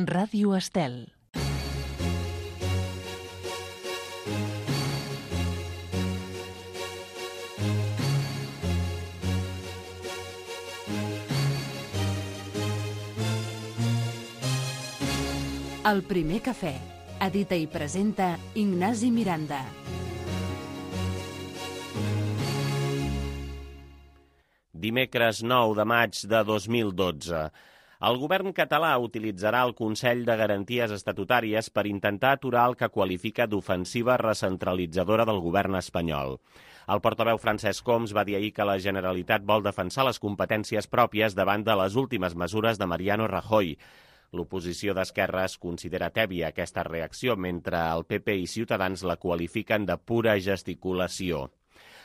Ràdio Estel. El primer cafè. Edita i presenta Ignasi Miranda. Dimecres 9 de maig de 2012. El govern català utilitzarà el Consell de Garanties Estatutàries per intentar aturar el que qualifica d'ofensiva recentralitzadora del govern espanyol. El portaveu Francesc Homs va dir ahir que la Generalitat vol defensar les competències pròpies davant de les últimes mesures de Mariano Rajoy. L'oposició d'esquerres considera tèbia aquesta reacció, mentre el PP i Ciutadans la qualifiquen de pura gesticulació.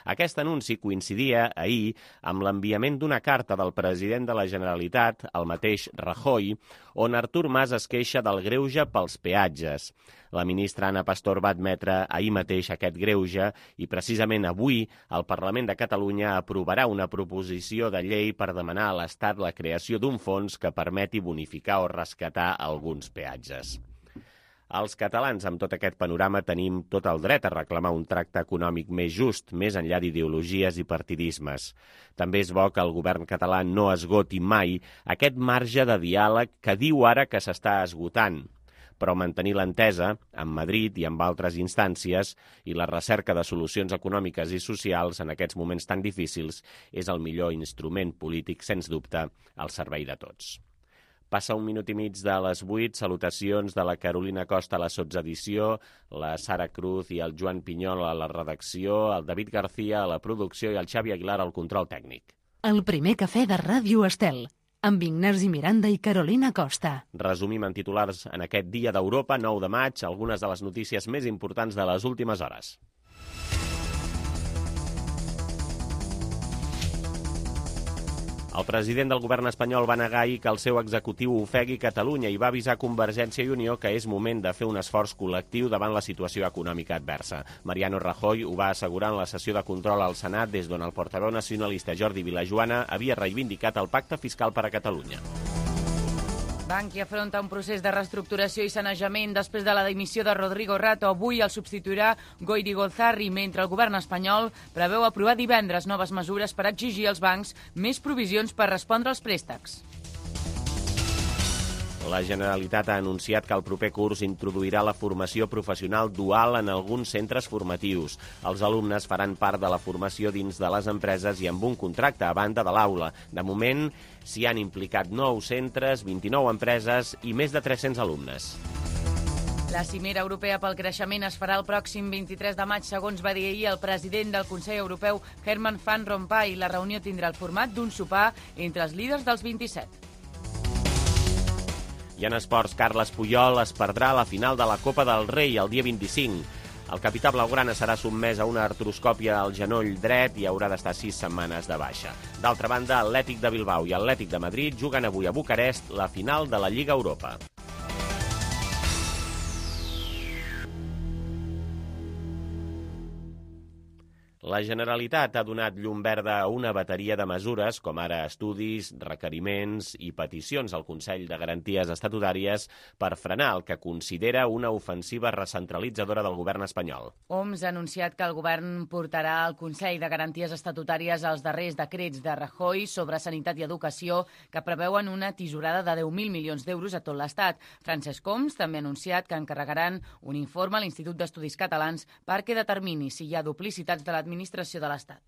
Aquest anunci coincidia ahir amb l'enviament d'una carta del president de la Generalitat, el mateix Rajoy, on Artur Mas es queixa del greuge pels peatges. La ministra Ana Pastor va admetre ahir mateix aquest greuge i precisament avui el Parlament de Catalunya aprovarà una proposició de llei per demanar a l'Estat la creació d'un fons que permeti bonificar o rescatar alguns peatges. Els catalans, amb tot aquest panorama, tenim tot el dret a reclamar un tracte econòmic més just, més enllà d'ideologies i partidismes. També és bo que el govern català no esgoti mai aquest marge de diàleg que diu ara que s'està esgotant. Però mantenir l'entesa, amb Madrid i amb altres instàncies, i la recerca de solucions econòmiques i socials en aquests moments tan difícils és el millor instrument polític, sens dubte, al servei de tots. Passa un minut i mig de les 8, salutacions de la Carolina Costa a la sotsedició, la Sara Cruz i el Joan Pinyol a la redacció, el David García a la producció i el Xavi Aguilar al control tècnic. El primer cafè de Ràdio Estel, amb Ignasi Miranda i Carolina Costa. Resumim en titulars en aquest dia d'Europa, 9 de maig, algunes de les notícies més importants de les últimes hores. El president del govern espanyol va negar ahir que el seu executiu ofegui Catalunya i va avisar Convergència i Unió que és moment de fer un esforç col·lectiu davant la situació econòmica adversa. Mariano Rajoy ho va assegurar en la sessió de control al Senat, des d'on el portaveu nacionalista Jordi Vilajoana havia reivindicat el pacte fiscal per a Catalunya. Bankia afronta un procés de reestructuració i sanejament després de la dimissió de Rodrigo Rato. Avui el substituirà Goyri Gozarri, mentre el govern espanyol preveu aprovar divendres noves mesures per exigir als bancs més provisions per respondre als préstecs. La Generalitat ha anunciat que el proper curs introduirà la formació professional dual en alguns centres formatius. Els alumnes faran part de la formació dins de les empreses i amb un contracte a banda de l'aula. De moment, s'hi han implicat 9 centres, 29 empreses i més de 300 alumnes. La cimera europea pel creixement es farà el pròxim 23 de maig, segons va dir ahir el president del Consell Europeu, Herman Van Rompuy. La reunió tindrà el format d'un sopar entre els líders dels 27. I en esports, Carles Puyol es perdrà la final de la Copa del Rei el dia 25. El capità blaugrana serà sotmès a una artroscòpia al genoll dret i haurà d'estar 6 setmanes de baixa. D'altra banda, Atlètic de Bilbao i Atlètic de Madrid juguen avui a Bucarest la final de la Lliga Europa. La Generalitat ha donat llum verda a una bateria de mesures, com ara estudis, requeriments i peticions al Consell de Garanties Estatutàries per frenar el que considera una ofensiva recentralitzadora del govern espanyol. Homs ha anunciat que el govern portarà al Consell de Garanties Estatutàries els darrers decrets de Rajoy sobre sanitat i educació que preveuen una tisorada de 10.000 milions d'euros a tot l'Estat. Francesc Homs també ha anunciat que encarregaran un informe a l'Institut d'Estudis Catalans perquè determini si hi ha duplicitats de l'administració de l'Estat.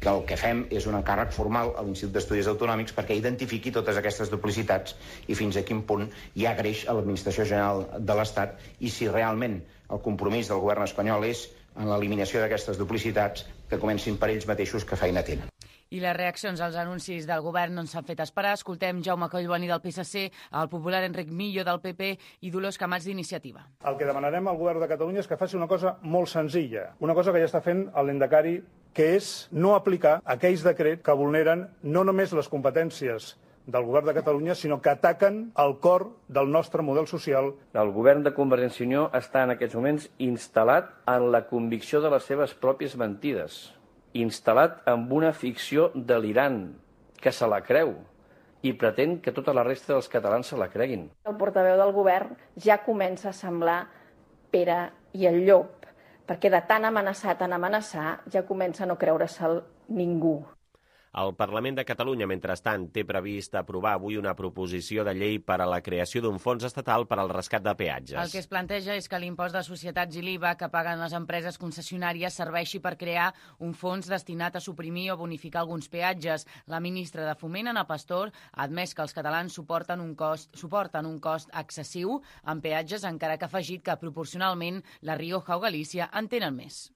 Que el que fem és un encàrrec formal a l'Institut d'Estudis Autonòmics perquè identifiqui totes aquestes duplicitats i fins a quin punt hi ha greix a l'Administració General de l'Estat i si realment el compromís del govern espanyol és en l'eliminació d'aquestes duplicitats que comencin per ells mateixos que feina tenen. I les reaccions als anuncis del govern no s'han fet esperar. Escoltem Jaume Collboni del PSC, el popular Enric Millo del PP i Dolors Camats d'Iniciativa. El que demanarem al govern de Catalunya és que faci una cosa molt senzilla, una cosa que ja està fent el lehendakari, que és no aplicar aquells decrets que vulneren no només les competències del govern de Catalunya, sinó que ataquen el cor del nostre model social. El govern de Convergència i Unió està en aquests moments instal·lat en la convicció de les seves pròpies mentides, instal·lat en una ficció delirant, que se la creu, i pretén que tota la resta dels catalans se la creguin. El portaveu del govern ja comença a semblar Pere i el Llop, perquè de tan amenaçar, ja comença a no creure-se'l ningú. El Parlament de Catalunya, mentrestant, té previst aprovar avui una proposició de llei per a la creació d'un fons estatal per al rescat de peatges. El que es planteja és que l'impost de societats i l'IVA que paguen les empreses concessionàries serveixi per crear un fons destinat a suprimir o bonificar alguns peatges. La ministra de Foment, Ana Pastor, ha admès que els catalans suporten un cost excessiu en peatges, encara que ha afegit que proporcionalment La Rioja o Galícia en tenen més.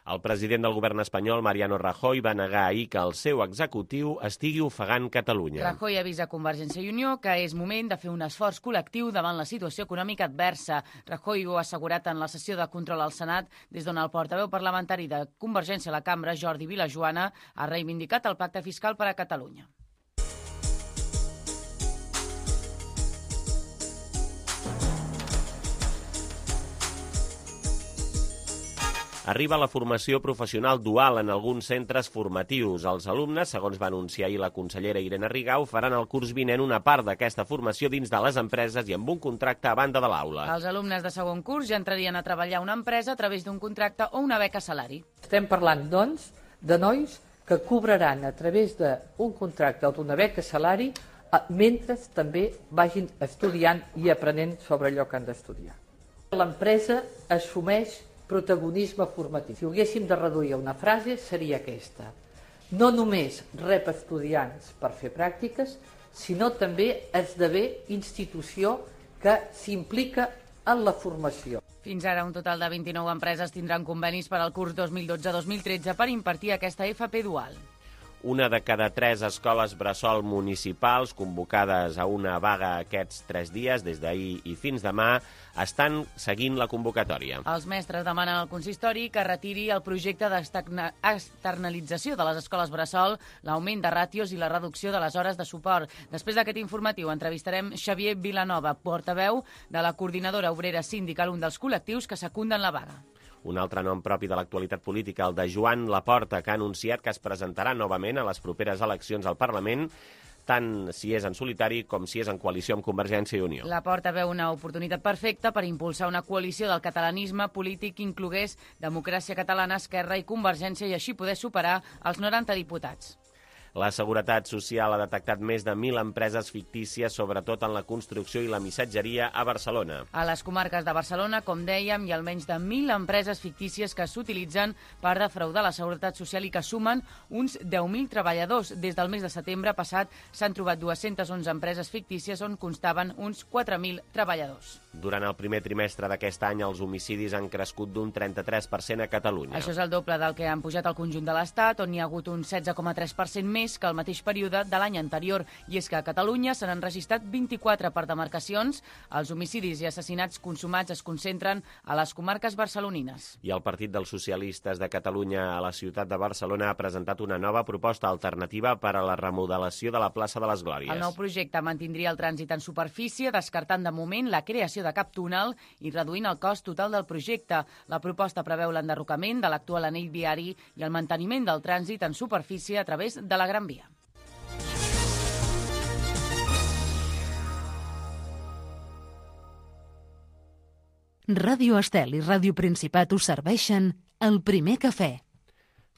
El president del govern espanyol, Mariano Rajoy, va negar ahir que el seu executiu estigui ofegant Catalunya. Rajoy avisa a Convergència i Unió que és moment de fer un esforç col·lectiu davant la situació econòmica adversa. Rajoy ho ha assegurat en la sessió de control al Senat, des d'on el portaveu parlamentari de Convergència a la cambra, Jordi Vilajoana, ha reivindicat el pacte fiscal per a Catalunya. Arriba la formació professional dual en alguns centres formatius. Els alumnes, segons va anunciar ahir la consellera Irene Rigau, faran el curs vinent una part d'aquesta formació dins de les empreses i amb un contracte a banda de l'aula. Els alumnes de segon curs ja entrarien a treballar a una empresa a través d'un contracte o una beca salari. Estem parlant, doncs, de nois que cobraran a través d'un contracte o d'una beca salari mentre també vagin estudiant i aprenent sobre allò que han d'estudiar. L'empresa assumeix protagonisme formatiu. Si ho haguéssim de reduir a una frase, seria aquesta. No només rep estudiants per fer pràctiques, sinó també esdevé institució que s'implica en la formació. Fins ara, un total de 29 empreses tindran convenis per al curs 2012-2013 per impartir aquesta FP dual. Una de cada 3 escoles bressol municipals convocades a una vaga aquests 3 dies, des d'ahir i fins demà, estan seguint la convocatòria. Els mestres demanen al consistori que retiri el projecte d'externalització de les escoles bressol, l'augment de ràtios i la reducció de les hores de suport. Després d'aquest informatiu entrevistarem Xavier Vilanova, portaveu de la coordinadora obrera sindical, un dels col·lectius que secunden la vaga. Un altre nom propi de l'actualitat política, el de Joan Laporta, que ha anunciat que es presentarà novament a les properes eleccions al Parlament, tant si és en solitari com si és en coalició amb Convergència i Unió. Laporta veu una oportunitat perfecta per impulsar una coalició del catalanisme polític que inclogués Democràcia Catalana, Esquerra i Convergència i així poder superar els 90 diputats. La Seguretat Social ha detectat més de 1.000 empreses fictícies, sobretot en la construcció i la missatgeria a Barcelona. A les comarques de Barcelona, com dèiem, hi ha almenys de 1.000 empreses fictícies que s'utilitzen per defraudar la Seguretat Social i que sumen uns 10.000 treballadors. Des del mes de setembre passat s'han trobat 211 empreses fictícies on constaven uns 4.000 treballadors. Durant el primer trimestre d'aquest any, els homicidis han crescut d'un 33% a Catalunya. Això és el doble del que han pujat al conjunt de l'Estat, on hi ha hagut un 16,3% més que el mateix període de l'any anterior. I és que a Catalunya se n'han registrat 24 per demarcacions. Els homicidis i assassinats consumats es concentren a les comarques barcelonines. I el Partit dels Socialistes de Catalunya a la ciutat de Barcelona ha presentat una nova proposta alternativa per a la remodelació de la plaça de les Glòries. El nou projecte mantindria el trànsit en superfície, descartant de moment la creació de cap túnel i reduint el cost total del projecte. La proposta preveu l'enderrocament de l'actual anell viari i el manteniment del trànsit en superfície a través de la Gran Via. Ràdio Estel i Ràdio Principat us serveixen el primer cafè.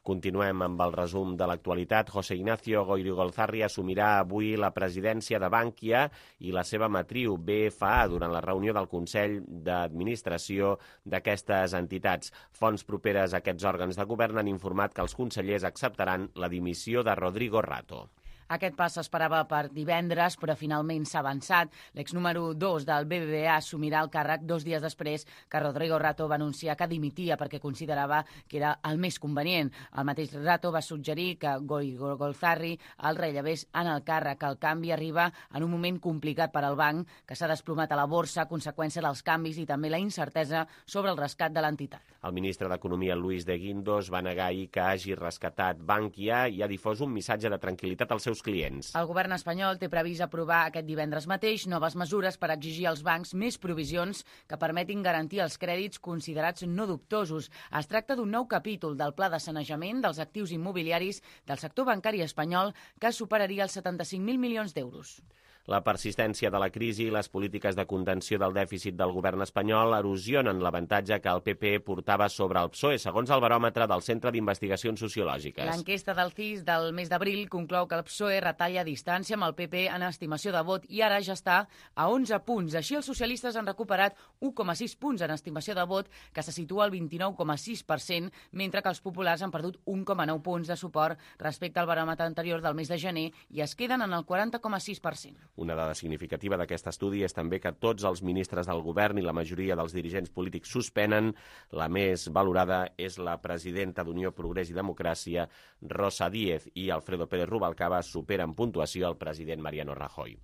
Continuem amb el resum de l'actualitat. José Ignacio Goirigolzarri assumirà avui la presidència de Bankia i la seva matriu BFA durant la reunió del Consell d'Administració d'aquestes entitats. Fonts properes a aquests òrgans de govern han informat que els consellers acceptaran la dimissió de Rodrigo Rato. Aquest pas s'esperava per divendres, però finalment s'ha avançat. L'exnúmero 2 del BBVA assumirà el càrrec 2 dies després que Rodrigo Rato va anunciar que dimitia perquè considerava que era el més convenient. El mateix Rato va suggerir que Goirigolzarri el rellevés en el càrrec. El canvi arriba en un moment complicat per al banc, que s'ha desplomat a la borsa a conseqüència dels canvis i també la incertesa sobre el rescat de l'entitat. El ministre d'Economia, Luis de Guindos, va negar ahir que hagi rescatat Bankia i ha difós un missatge de tranquil·litat als seus seus clients. El govern espanyol té previst aprovar aquest divendres mateix noves mesures per exigir als bancs més provisions que permetin garantir els crèdits considerats no dubtosos. Es tracta d'un nou capítol del pla de sanejament dels actius immobiliaris del sector bancari espanyol que superaria els 75.000 milions d'euros. La persistència de la crisi i les polítiques de contenció del dèficit del govern espanyol erosionen l'avantatge que el PP portava sobre el PSOE, segons el baròmetre del Centre d'Investigacions Sociològiques. L'enquesta del CIS del mes d'abril conclou que el PSOE retalla distància amb el PP en estimació de vot i ara ja està a 11 punts. Així, els socialistes han recuperat 1,6 punts en estimació de vot, que se situa al 29,6%, mentre que els populars han perdut 1,9 punts de suport respecte al baròmetre anterior del mes de gener i es queden en el 40,6%. Una dada significativa d'aquest estudi és també que tots els ministres del govern i la majoria dels dirigents polítics suspenen. La més valorada és la presidenta d'Unió, Progrés i Democràcia, Rosa Díez, i Alfredo Pérez Rubalcaba supera en puntuació el president Mariano Rajoy.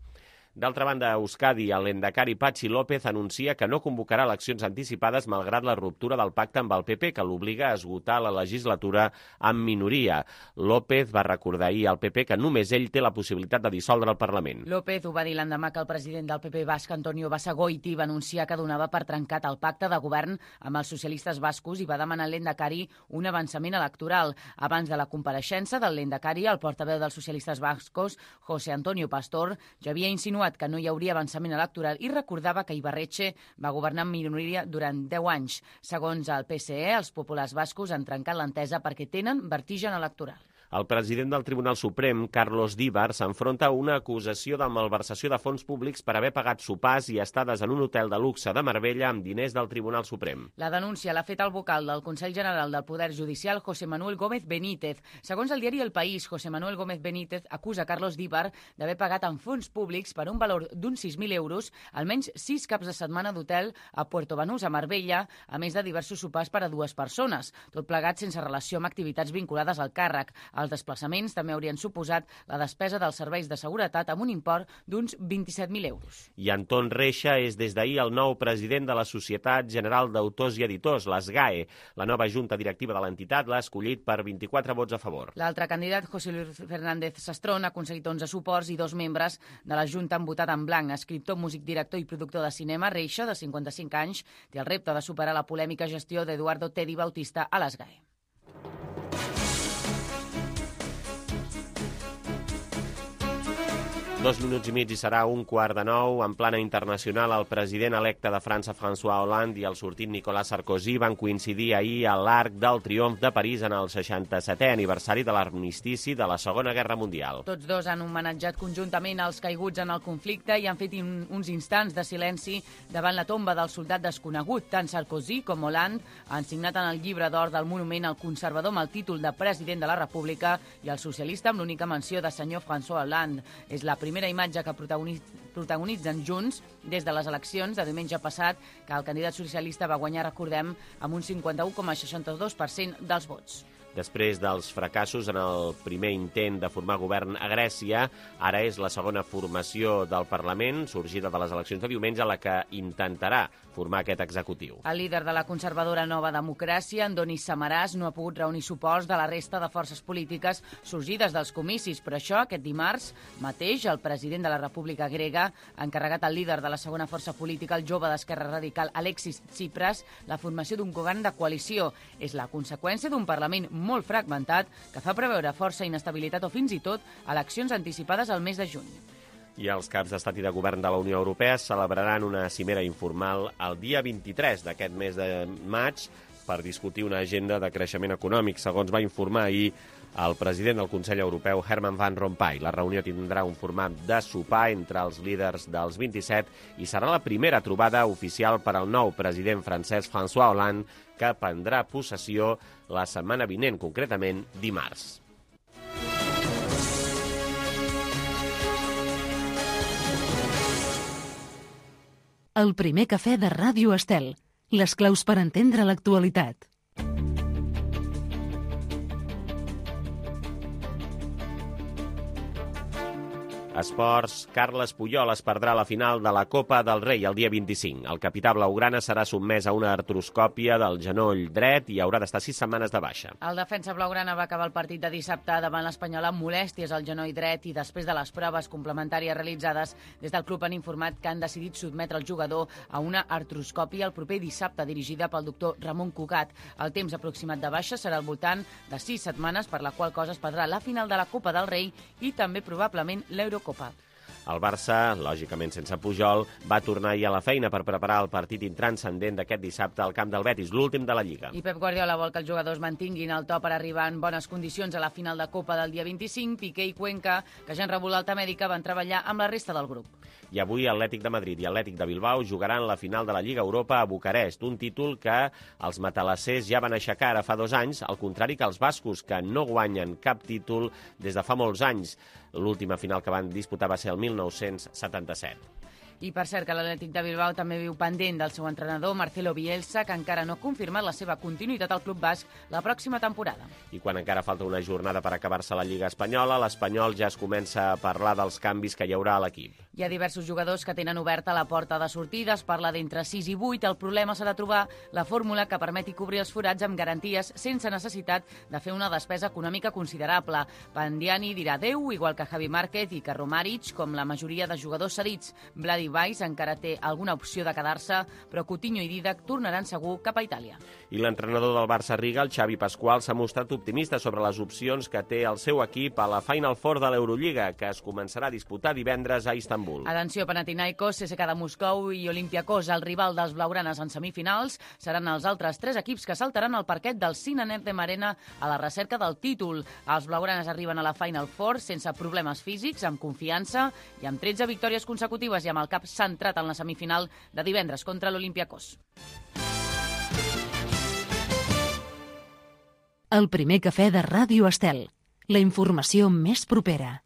D'altra banda, a Euskadi, el lehendakari Patxi López anuncia que no convocarà eleccions anticipades malgrat la ruptura del pacte amb el PP, que l'obliga a esgotar la legislatura amb minoria. López va recordar ahir al PP que només ell té la possibilitat de dissoldre el Parlament. López ho va dir l'endemà que el president del PP basc, Antonio Basagoiti, va anunciar que donava per trencat el pacte de govern amb els socialistes bascos i va demanar al lehendakari un avançament electoral. Abans de la compareixença del lehendakari, el portaveu dels socialistes bascos, José Antonio Pastor, ja havia insinuat que no hi hauria avançament electoral i recordava que Ibarretxe va governar en minoria durant 10 anys. Segons el PSE, els populars bascos han trencat l'entesa perquè tenen vertigen electoral. El president del Tribunal Suprem, Carlos Díbar, s'enfronta a una acusació de malversació de fons públics per haver pagat sopars i estades en un hotel de luxe de Marbella amb diners del Tribunal Suprem. La denúncia l'ha fet el vocal del Consell General del Poder Judicial, José Manuel Gómez Benítez. Segons el diari El País, José Manuel Gómez Benítez acusa Carlos Díbar d'haver pagat en fons públics per un valor d'uns 6.000 euros almenys 6 caps de setmana d'hotel a Puerto Banús, a Marbella, a més de diversos sopars per a 2 persones, tot plegat sense relació amb activitats vinculades al càrrec. Els desplaçaments també haurien suposat la despesa dels serveis de seguretat amb un import d'uns 27.000 euros. I Anton Reixa és des d'ahir el nou president de la Societat General d'Autors i Editors, la SGAE. La nova junta directiva de l'entitat l'ha escollit per 24 vots a favor. L'altre candidat, José Luis Fernández Sastrón, ha aconseguit 11 suports i 2 membres de la junta han votat en blanc. Escriptor, músic, director i productor de cinema, Reixa, de 55 anys, té el repte de superar la polèmica gestió d'Eduardo Tedi Bautista a la SGAE. 2 minuts i mig i serà 8:45. En plana internacional, el president electe de França, François Hollande, i el sortit Nicolas Sarkozy van coincidir ahir a l'Arc del Triomf de París en el 67è aniversari de l'armistici de la Segona Guerra Mundial. Tots dos han homenatjat conjuntament els caiguts en el conflicte i han fet uns instants de silenci davant la tomba del soldat desconegut. Tant Sarkozy com Hollande han signat en el llibre d'or del monument el conservador amb el títol de president de la República i el socialista amb l'única menció de senyor François Hollande. És la primera imatge que protagonitzen junts des de les eleccions de diumenge passat, que el candidat socialista va guanyar, recordem, amb un 51,62% dels vots. Després dels fracassos en el primer intent de formar govern a Grècia, ara és la segona formació del Parlament, sorgida de les eleccions de diumenge, la que intentarà formar aquest executiu. El líder de la conservadora Nova Democràcia, Andonis Samarás, no ha pogut reunir suports de la resta de forces polítiques sorgides dels comicis. Per això, aquest dimarts mateix, el president de la República Grega ha encarregat al líder de la segona força política, el jove d'Esquerra Radical, Alexis Tsipras, la formació d'un govern de coalició. És la conseqüència d'un Parlament molt fragmentat que fa preveure força inestabilitat o fins i tot eleccions anticipades al mes de juny. I els caps d'estat i de govern de la Unió Europea celebraran una cimera informal el dia 23 d'aquest mes de maig per discutir una agenda de creixement econòmic, segons va informar ahir el president del Consell Europeu, Herman Van Rompuy. La reunió tindrà un format de sopar entre els líders dels 27 i serà la primera trobada oficial per al nou president francès, François Hollande, que prendrà possessió la setmana vinent, concretament dimarts. El primer cafè de Ràdio Estel. Les claus per entendre l'actualitat. Esports, Carles Puyol es perdrà la final de la Copa del Rei el dia 25. El capità blaugrana serà sotmès a una artroscòpia del genoll dret i haurà d'estar 6 setmanes de baixa. El defensa blaugrana va acabar el partit de dissabte davant l'Espanyol amb molèsties al genoll dret i després de les proves complementàries realitzades, des del club han informat que han decidit sotmetre el jugador a una artroscòpia el proper dissabte dirigida pel doctor Ramon Cugat. El temps aproximat de baixa serà al voltant de 6 setmanes, per la qual cosa es perdrà la final de la Copa del Rei i també probablement l'Eurocopa. El Barça, lògicament sense Pujol, va tornar ahir a la feina per preparar el partit intranscendent d'aquest dissabte al camp del Betis, l'últim de la Lliga. I Pep Guardiola vol que els jugadors mantinguin el to per arribar en bones condicions a la final de Copa del dia 25. Piqué i Cuenca, que ja han rebut l'alta mèdica, van treballar amb la resta del grup. I avui Atlètic de Madrid i Atlètic de Bilbao jugaran la final de la Lliga Europa a Bucarest, un títol que els matalassers ja van aixecar ara fa 2 anys, al contrari que els bascos, que no guanyen cap títol des de fa molts anys. L'última final que van disputar va ser el 1977. I per cert que l'Atlètic de Bilbao també viu pendent del seu entrenador, Marcelo Bielsa, que encara no ha confirmat la seva continuïtat al club basc la pròxima temporada. I quan encara falta una jornada per acabar-se la Lliga Espanyola, l'Espanyol ja es comença a parlar dels canvis que hi haurà a l'equip. Hi ha diversos jugadors que tenen oberta la porta de sortida, es parla d'entre 6 i 8, el problema serà trobar la fórmula que permeti cobrir els forats amb garanties sense necessitat de fer una despesa econòmica considerable. Pandiani dirà adeu, igual que Javi Márquez i que Romaric, com la majoria de jugadors cedits. Vladi Valls encara té alguna opció de quedar-se, però Coutinho i Dídac tornaran segur cap a Itàlia. I l'entrenador del Barça Riga, el Xavi Pasqual, s'ha mostrat optimista sobre les opcions que té el seu equip a la Final Four de l'Eurolliga, que es començarà a disputar divendres a Istanbul. Atenció, Panathinaikos, CSKA de Moscou i Olympiacos, el rival dels blaugranes en semifinals, seran els altres 3 equips que saltaran al parquet del Sinan Erdem Arena a la recerca del títol. Els blaugranes arriben a la Final Four sense problemes físics, amb confiança i amb 13 victòries consecutives i amb el cap centrat en la semifinal de divendres contra l'Olympiacos. El primer cafè de Ràdio Estel. La informació més propera.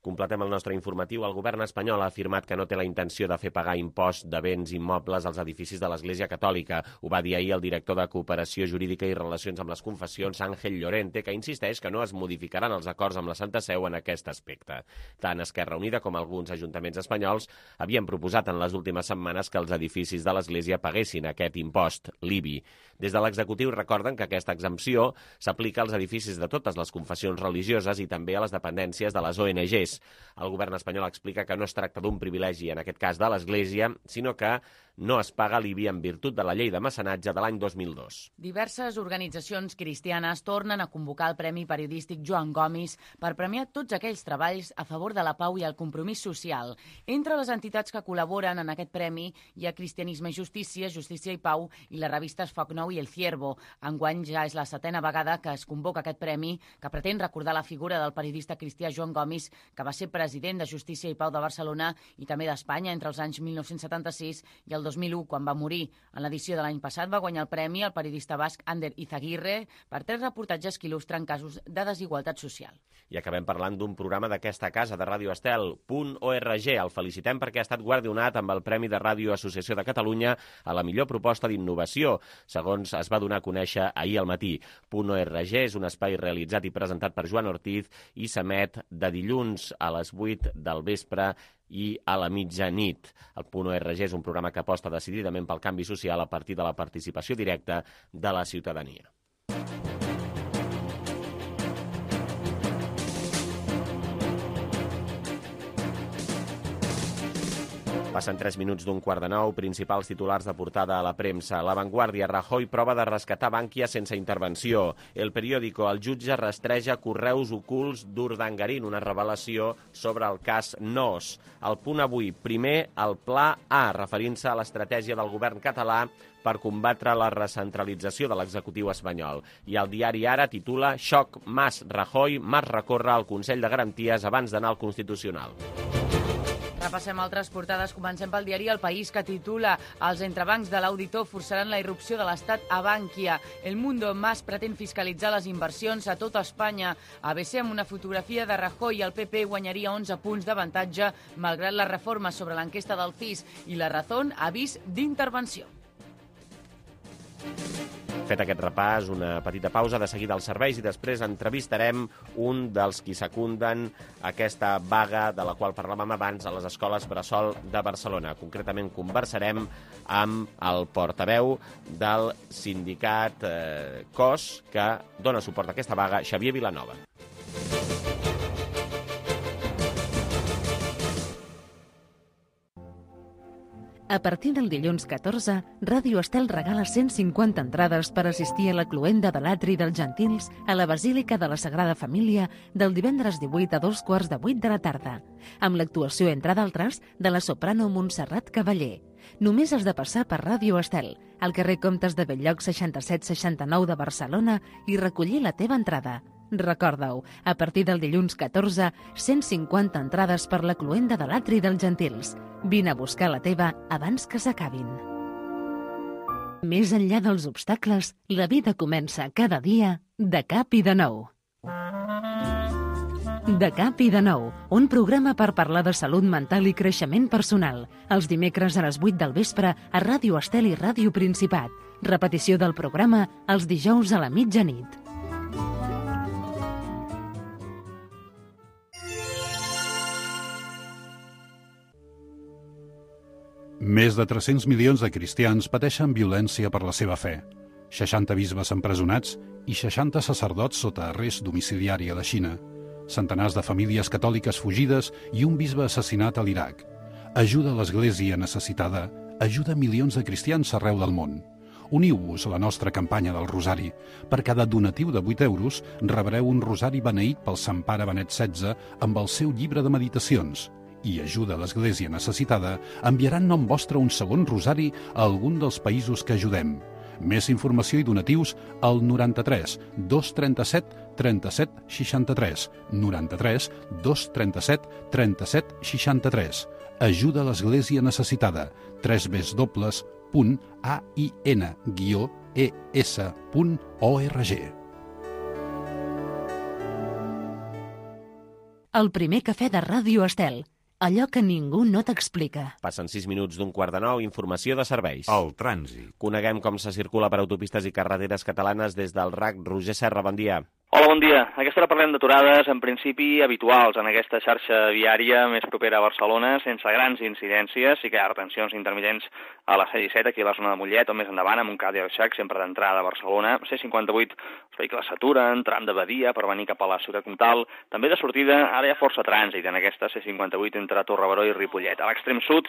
Completem el nostre informatiu. El govern espanyol ha afirmat que no té la intenció de fer pagar impost de béns immobles als edificis de l'Església Catòlica. Ho va dir ahir el director de Cooperació Jurídica i Relacions amb les Confessions, Ángel Llorente, que insisteix que no es modificaran els acords amb la Santa Seu en aquest aspecte. Tant Esquerra Unida com alguns ajuntaments espanyols havien proposat en les últimes setmanes que els edificis de l'Església paguessin aquest impost, l'IBI. Des de l'executiu recorden que aquesta exempció s'aplica als edificis de totes les confessions religioses i també a les dependències de les ONGs. El govern espanyol explica que no es tracta d'un privilegi, en aquest cas de l'Església, sinó que no es paga l'IBI en virtut de la llei de mecenatge de l'any 2002. Diverses organitzacions cristianes tornen a convocar el Premi Periodístic Joan Gomis per premiar tots aquells treballs a favor de la pau i el compromís social. Entre les entitats que col·laboren en aquest premi hi ha Cristianisme i Justícia, Justícia i Pau i les revistes Foc Nou i El Ciervo. Enguany ja és la 7a vegada que es convoca aquest premi, que pretén recordar la figura del periodista cristià Joan Gomis, que va ser president de Justícia i Pau de Barcelona i també d'Espanya entre els anys 1976 i el 2001, quan va morir. En l'edició de l'any passat va guanyar el premi el periodista basc Ander Izaguirre per 3 reportatges que il·lustren casos de desigualtat social. I acabem parlant d'un programa d'aquesta casa de Ràdio Estel, .org. El felicitem perquè ha estat guardonat amb el Premi de Ràdio Associació de Catalunya a la millor proposta d'innovació, segons es va donar a conèixer ahir al matí. .org és un espai realitzat i presentat per Joan Ortiz i s'emet de dilluns a les 8 del vespre i a la mitjanit. El .org és un programa que aposta decididament pel canvi social a partir de la participació directa de la ciutadania. Passen 3 minuts d'un 8:15, principals titulars de portada a la premsa. La Vanguardia, Rajoy prova de rescatar Bankia sense intervenció. El Periódico, el jutge rastreja correus ocults d'Urdangarín, una revelació sobre el cas NOS. El Punt Avui, primer el Pla A, referint-se a l'estratègia del govern català per combatre la recentralització de l'executiu espanyol. I el diari Ara titula Xoc Mas-Rajoy, Mas recorre al Consell de Garanties abans d'anar al Constitucional. Repassem altres portades. Comencem pel diari El País, que titula Els entrebancs de l'auditor forçaran la irrupció de l'Estat a Bankia. El Mundo, Mas pretén fiscalitzar les inversions a tota Espanya. ABC, amb una fotografia de Rajoy, el PP guanyaria 11 punts d'avantatge malgrat les reformes sobre l'enquesta del CIS. I La Razón, avís d'intervenció. Fet aquest repàs, una petita pausa, de seguida als serveis i després entrevistarem un dels qui secunden aquesta vaga de la qual parlàvem abans a les escoles bressol de Barcelona. Concretament conversarem amb el portaveu del sindicat COS que dona suport a aquesta vaga, Xavier Vilanova. A partir del dilluns 14, Ràdio Estel regala 150 entrades per assistir a la cloenda de l'atri dels Gentils a la Basílica de la Sagrada Família del divendres 18 a 2:15 de la tarda, amb l'actuació, entre d'altres, de la soprano Montserrat Cavaller. Només has de passar per Ràdio Estel, al carrer Comtes de Bell-lloc 6769 de Barcelona i recollir la teva entrada. Recorda-ho, a partir del dilluns 14, 150 entrades per la cloenda de l'atri dels Gentils. Vine a buscar la teva abans que s'acabin. Més enllà dels obstacles, la vida comença cada dia de cap i de nou. De cap i de nou, un programa per parlar de salut mental i creixement personal. Els dimecres a les 8 del vespre a Ràdio Estel i Ràdio Principat. Repetició del programa els dijous a la mitjanit. Més de 300 milions de cristians pateixen violència per la seva fe. 60 bisbes empresonats i 60 sacerdots sota arrest domiciliari a la Xina. Centenars de famílies catòliques fugides i un bisbe assassinat a l'Iraq. Ajuda a l'Església necessitada, ajuda milions de cristians arreu del món. Uniu-vos a la nostra campanya del Rosari. Per cada donatiu de 8 euros rebreu un rosari beneït pel Sant Pare Benet XVI amb el seu llibre de meditacions. I ajuda a l'Església necessitada enviarà en nom vostre un segon rosari a algun dels països que ajudem. Més informació i donatius al 93 237 37 63. 93 237 37 63. Ajuda a l'Església necessitada. www.ain-es.org. El primer cafè de Ràdio Estel. Allò que ningú no t'explica. Passen 6 minuts d'un quart de 9, informació de serveis. El trànsit. Coneguem com se circula per autopistes i carreteres catalanes des del RAC. Roger Serra, bon dia. Hola, bon dia. A aquesta hora parlem d'aturades, en principi habituals en aquesta xarxa viària més propera a Barcelona, sense grans incidències. Sí que hi ha retencions intermitents a la C-17, aquí a la zona de Mollet, o més endavant, amb un Cadí Arxac, sempre d'entrada a Barcelona. C-58, els vehicles s'aturen, tram de Badia per venir cap a la ciutat comtal. També de sortida, ara hi ha força trànsit en aquesta C-58 entre Torrebaró i Ripollet. A l'extrem sud,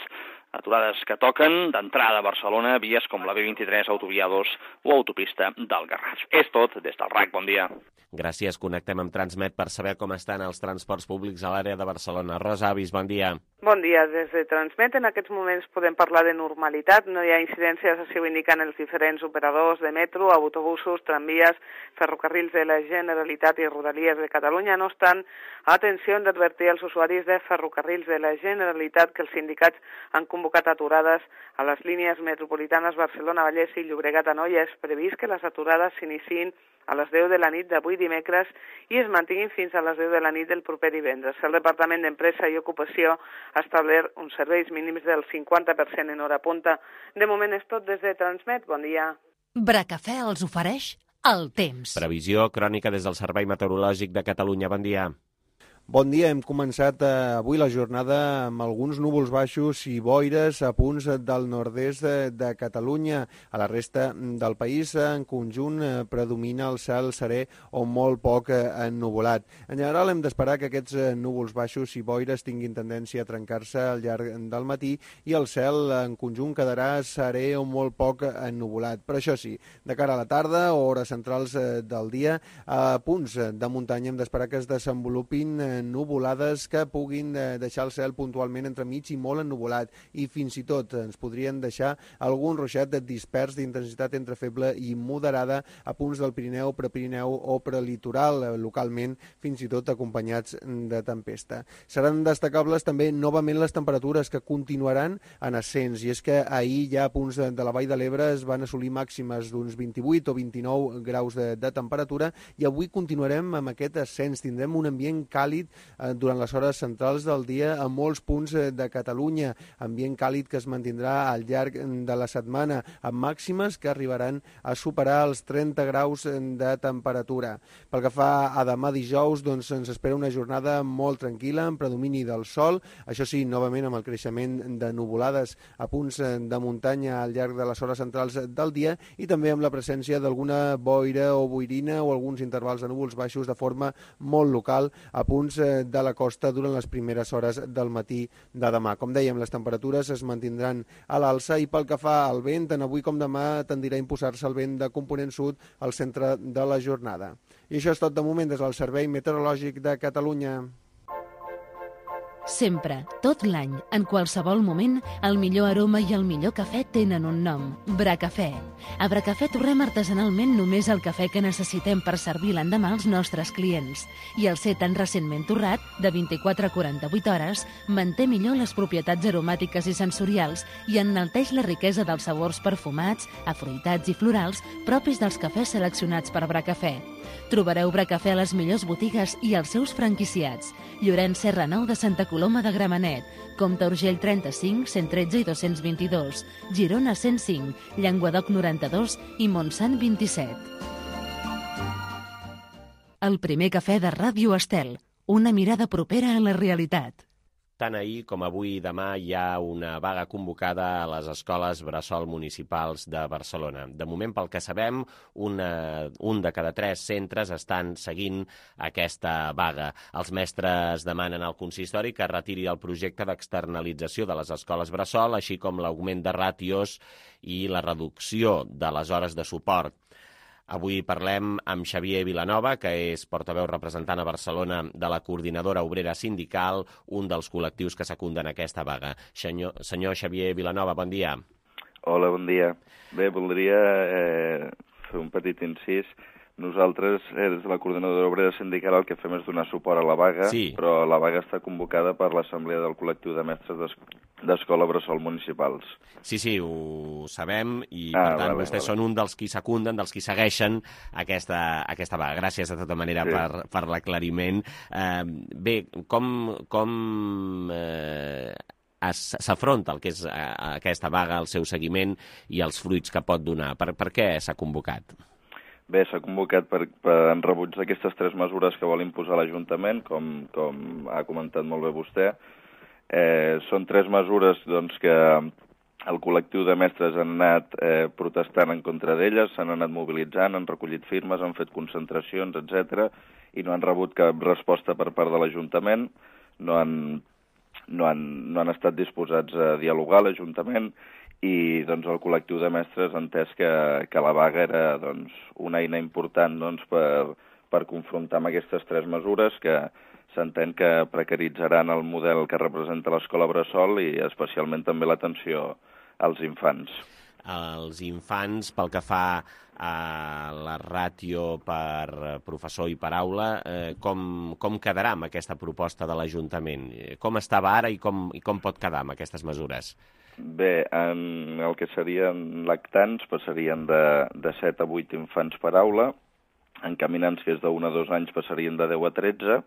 aturades que toquen d'entrada a Barcelona, vies com la B23, autovia 2 o autopista del Garraf. És tot des del RAC. Bon dia. Gràcies. Connectem amb Transmet per saber com estan els transports públics a l'àrea de Barcelona. Rosa Avis, bon dia. Bon dia. Des de Transmet en aquests moments podem parlar de normalitat. No hi ha incidències, així ho indiquen els diferents operadors de metro, autobusos, tramvies, ferrocarrils de la Generalitat i Rodalies de Catalunya. No obstant, atenció, hem d'advertir als usuaris de ferrocarrils de la Generalitat que els sindicats han convocat aturades a les línies metropolitanes Barcelona, Vallès i Llobregat-Anoia. És previst que les aturades s'iniciïn a les 10 de la nit d'avui dimecres i es mantinguin fins a les 10 de la nit del proper divendres. El Departament d'Empresa i Ocupació ha establert uns serveis mínims del 50% en hora punta. De moment és tot des de Transmet. Bon dia. Bracafè els ofereix el temps. Previsió crònica des del Servei Meteorològic de Catalunya. Bon dia. Bon dia, hem començat avui la jornada amb alguns núvols baixos i boires a punts del nord-est de Catalunya. A la resta del país, en conjunt, predomina el cel serè o molt poc ennuvolat. En general, hem d'esperar que aquests núvols baixos i boires tinguin tendència a trencar-se al llarg del matí i el cel, en conjunt, quedarà serè o molt poc ennuvolat. Però això sí, de cara a la tarda o hores centrals del dia, a punts de muntanya hem d'esperar que es desenvolupin nuvolades que puguin deixar el cel puntualment entremig i molt ennuvolat i fins i tot ens podrien deixar algun ruixat dispers d'intensitat entre feble i moderada a punts del Pirineu, Prepirineu o prelitoral, localment fins i tot acompanyats de tempesta. Seran destacables també novament les temperatures que continuaran en ascens i és que ahir ja a punts de la Vall de l'Ebre es van assolir màximes d'uns 28 o 29 graus de temperatura i avui continuarem amb aquest ascens. Tindrem un ambient càlid durant les hores centrals del dia a molts punts de Catalunya. Ambient càlid que es mantindrà al llarg de la setmana, amb màximes que arribaran a superar els 30 graus de temperatura. Pel que fa a demà dijous, doncs ens espera una jornada molt tranquil·la, amb predomini del sol, això sí, novament amb el creixement de nuvolades a punts de muntanya al llarg de les hores centrals del dia i també amb la presència d'alguna boira o boirina o alguns intervals de núvols baixos de forma molt local a punts de la costa durant les primeres hores del matí de demà. Com dèiem, les temperatures es mantindran a l'alça i pel que fa al vent, tant avui com demà tendirà a imposar-se el vent de component sud al centre de la jornada. I això és tot de moment des del Servei Meteorològic de Catalunya. Sempre, tot l'any, en qualsevol moment, el millor aroma i el millor cafè tenen un nom, Bracafè. A Bracafè torrem artesanalment només el cafè que necessitem per servir l'endemà als nostres clients. I el ser tan recentment torrat, de 24 a 48 hores, manté millor les propietats aromàtiques i sensorials i enalteix la riquesa dels sabors perfumats, afruitats i florals propis dels cafès seleccionats per Bracafè. Trobareu Bracafè a les millors botigues i als seus franquiciats. Llorenç Serra Nou de Santa Coloma de Gramenet, Comte Urgell 35, 113 i 222, Girona 105, Llenguadoc 92 i Montsant 27. El primer cafè de Ràdio Estel, una mirada propera a la realitat. Tant ahir com avui i demà hi ha una vaga convocada a les escoles bressol municipals de Barcelona. De moment, pel que sabem, un de cada 3 centres estan seguint aquesta vaga. Els mestres demanen al consistori que retiri el projecte d'externalització de les escoles bressol, així com l'augment de ràtios i la reducció de les hores de suport. Avui parlem amb Xavier Vilanova, que és portaveu representant a Barcelona de la Coordinadora Obrera Sindical, un dels col·lectius que secunden aquesta vaga. Senyor Xavier Vilanova, bon dia. Hola, bon dia. Bé, voldria fer un petit incís. Nosaltres, des de la Coordinadora Obrera Sindical, el que fem és donar suport a la vaga, sí. Però la vaga està convocada per l'Assemblea del Col·lectiu de Mestres d'Escola Bressol Municipals. Sí, ho sabem, i per tant vostès són un dels qui secunden, dels qui segueixen aquesta vaga. Gràcies de tota manera per l'aclariment. Bé, com s'afronta el que és aquesta vaga, el seu seguiment i els fruits que pot donar? Per què s'ha convocat? Bé, s'ha convocat en rebuig d'aquestes 3 mesures que vol imposar l'Ajuntament, com ha comentat molt bé vostè. Són 3 mesures que el col·lectiu de mestres han anat protestant en contra d'elles, s'han anat mobilitzant, han recollit firmes, han fet concentracions, etc. i no han rebut cap resposta per part de l'Ajuntament, no han estat disposats a dialogar a l'Ajuntament, i el col·lectiu de mestres ha entès que la vaga era una eina important per confrontar amb aquestes 3 mesures que s'entén que precaritzaran el model que representa l'escola bressol i especialment també l'atenció als infants. Els infants, pel que fa a la ràtio per professor i per aula, com quedarà amb aquesta proposta de l'Ajuntament? Com estava ara i com pot quedar amb aquestes mesures? Bé, en el que serien lactants passarien de 7 a 8 infants per aula, en caminants, que és de 1 a 2 anys, passarien de 10 a 13,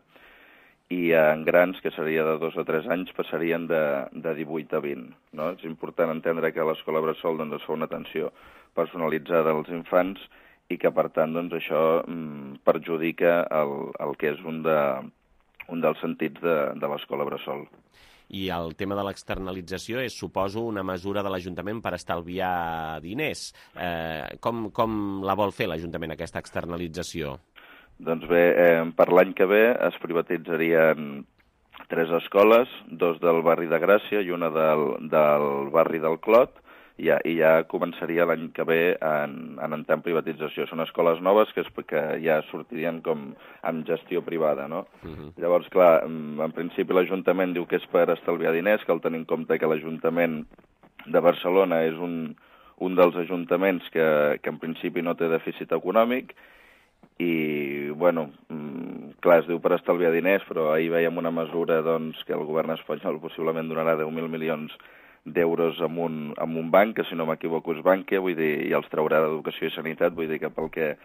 i en grans, que seria de 2 a 3 anys, passarien de 18 a 20. No? És important entendre que a l'escola bressol es fa una atenció personalitzada als infants i que, per tant, això perjudica el que és un dels sentits de l'escola bressol. I el tema de l'externalització és, suposo, una mesura de l'Ajuntament per estalviar diners. Com la vol fer l'Ajuntament, aquesta externalització? Doncs bé, per l'any que ve es privatitzarien 3 escoles, 2 del barri de Gràcia i una del barri del Clot, i ja començaria l'any que ve en entrar en privatització. Són escoles noves que ja sortirien com amb gestió privada, no? Llavors, clar, en principi l'Ajuntament diu que és per estalviar diners, cal tenir en compte que l'Ajuntament de Barcelona és un dels ajuntaments que en principi no té dèficit econòmic i, bueno, clar, es diu per estalviar diners, però ahir veiem una mesura que el govern espanyol possiblement donarà 10.000 milions d'euros amb un banc, que si no m'equivoco és Bankia, vull dir, i els traurà d'Educació i Sanitat, vull dir que pel que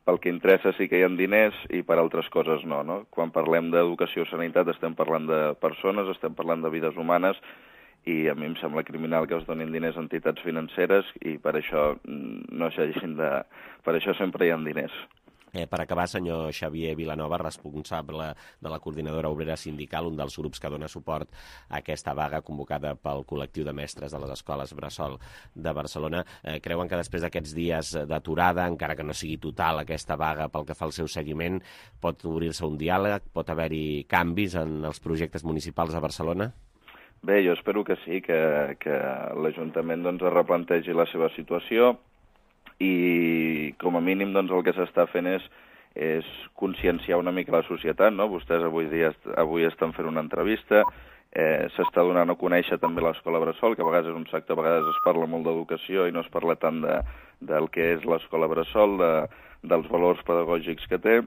pel que interessa sí que hi ha diners i per altres coses no, no? Quan parlem d'educació o sanitat estem parlant de persones, estem parlant de vides humanes, i a mi em sembla criminal que es donin diners a entitats financeres i per això no s'hagin de... Per això sempre hi ha diners. Per acabar, senyor Xavier Vilanova, responsable de la Coordinadora Obrera Sindical, un dels grups que dona suport a aquesta vaga convocada pel col·lectiu de mestres de les escoles Bressol de Barcelona, creuen que després d'aquests dies d'aturada, encara que no sigui total aquesta vaga pel que fa al seu seguiment, pot obrir-se un diàleg, pot haver-hi canvis en els projectes municipals a Barcelona? Bé, jo espero que sí, que l'Ajuntament doncs, es replantegi la seva situació, i com a mínim doncs, el que s'està fent és conscienciar una mica la societat, no? Vostès avui estan fent una entrevista, s'està donant a conèixer també l'escola Bressol, que a vegades és un sector, a vegades es parla molt d'educació i no es parla tant del que és l'escola Bressol, dels valors pedagògics que té,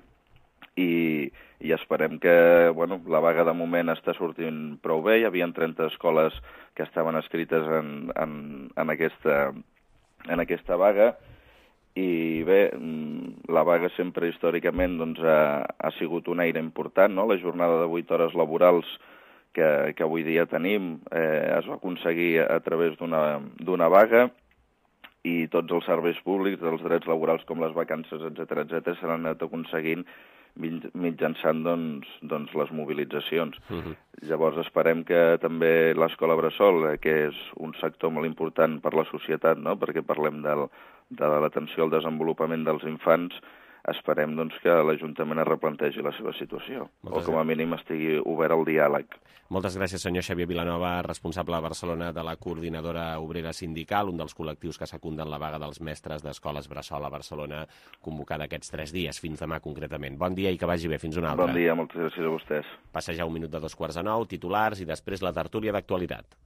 i esperem que la vaga de moment està sortint prou bé. Hi havia 30 escoles que estaven escrites en aquesta vaga, i bé, la vaga sempre històricament doncs, ha sigut una eina important, no? La jornada de 8 hores laborals que avui dia tenim es va aconseguir a través d'una vaga, i tots els serveis públics, els drets laborals com les vacances, etc s'han anat aconseguint mitjançant doncs, les mobilitzacions. Llavors esperem que també l'escola Bressol, que és un sector molt important per la societat, no? Perquè parlem de l'atenció al desenvolupament dels infants, esperem doncs, que l'Ajuntament es replantegi la seva situació, o com a mínim estigui obert al diàleg. Moltes gràcies, senyor Xavier Vilanova, responsable a Barcelona de la Coordinadora Obrera Sindical, un dels col·lectius que secunden la vaga dels mestres d'escoles Bressol a Barcelona, convocada aquests 3 dies, fins demà concretament. Bon dia i que vagi bé. Fins una altra. Bon dia, moltes gràcies a vostès. Passa ja 1 minut de 8:45, titulars i després la tertúlia d'actualitat.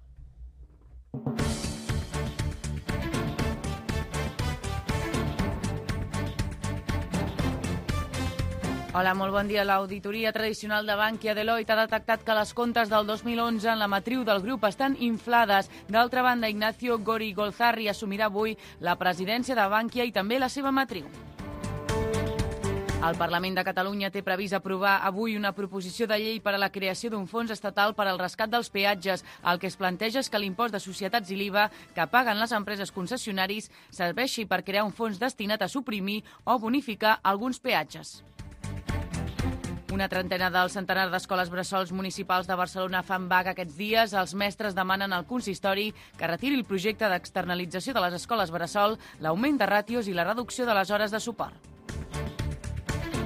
Hola, molt bon dia. L'auditoria tradicional de Bankia Deloitte ha detectat que les comptes del 2011 en la matriu del grup estan inflades. D'altra banda, Ignacio Gorigolzarri assumirà avui la presidència de Bankia i també la seva matriu. El Parlament de Catalunya té previst aprovar avui una proposició de llei per a la creació d'un fons estatal per al rescat dels peatges. El que es planteja és que l'impost de societats i l'IVA que paguen les empreses concessionaris serveixi per crear un fons destinat a suprimir o bonificar alguns peatges. Una trentena del centenar d'escoles bressols municipals de Barcelona fan vaga aquests dies. Els mestres demanen al consistori que retiri el projecte d'externalització de les escoles bressol, l'augment de ràtios i la reducció de les hores de suport.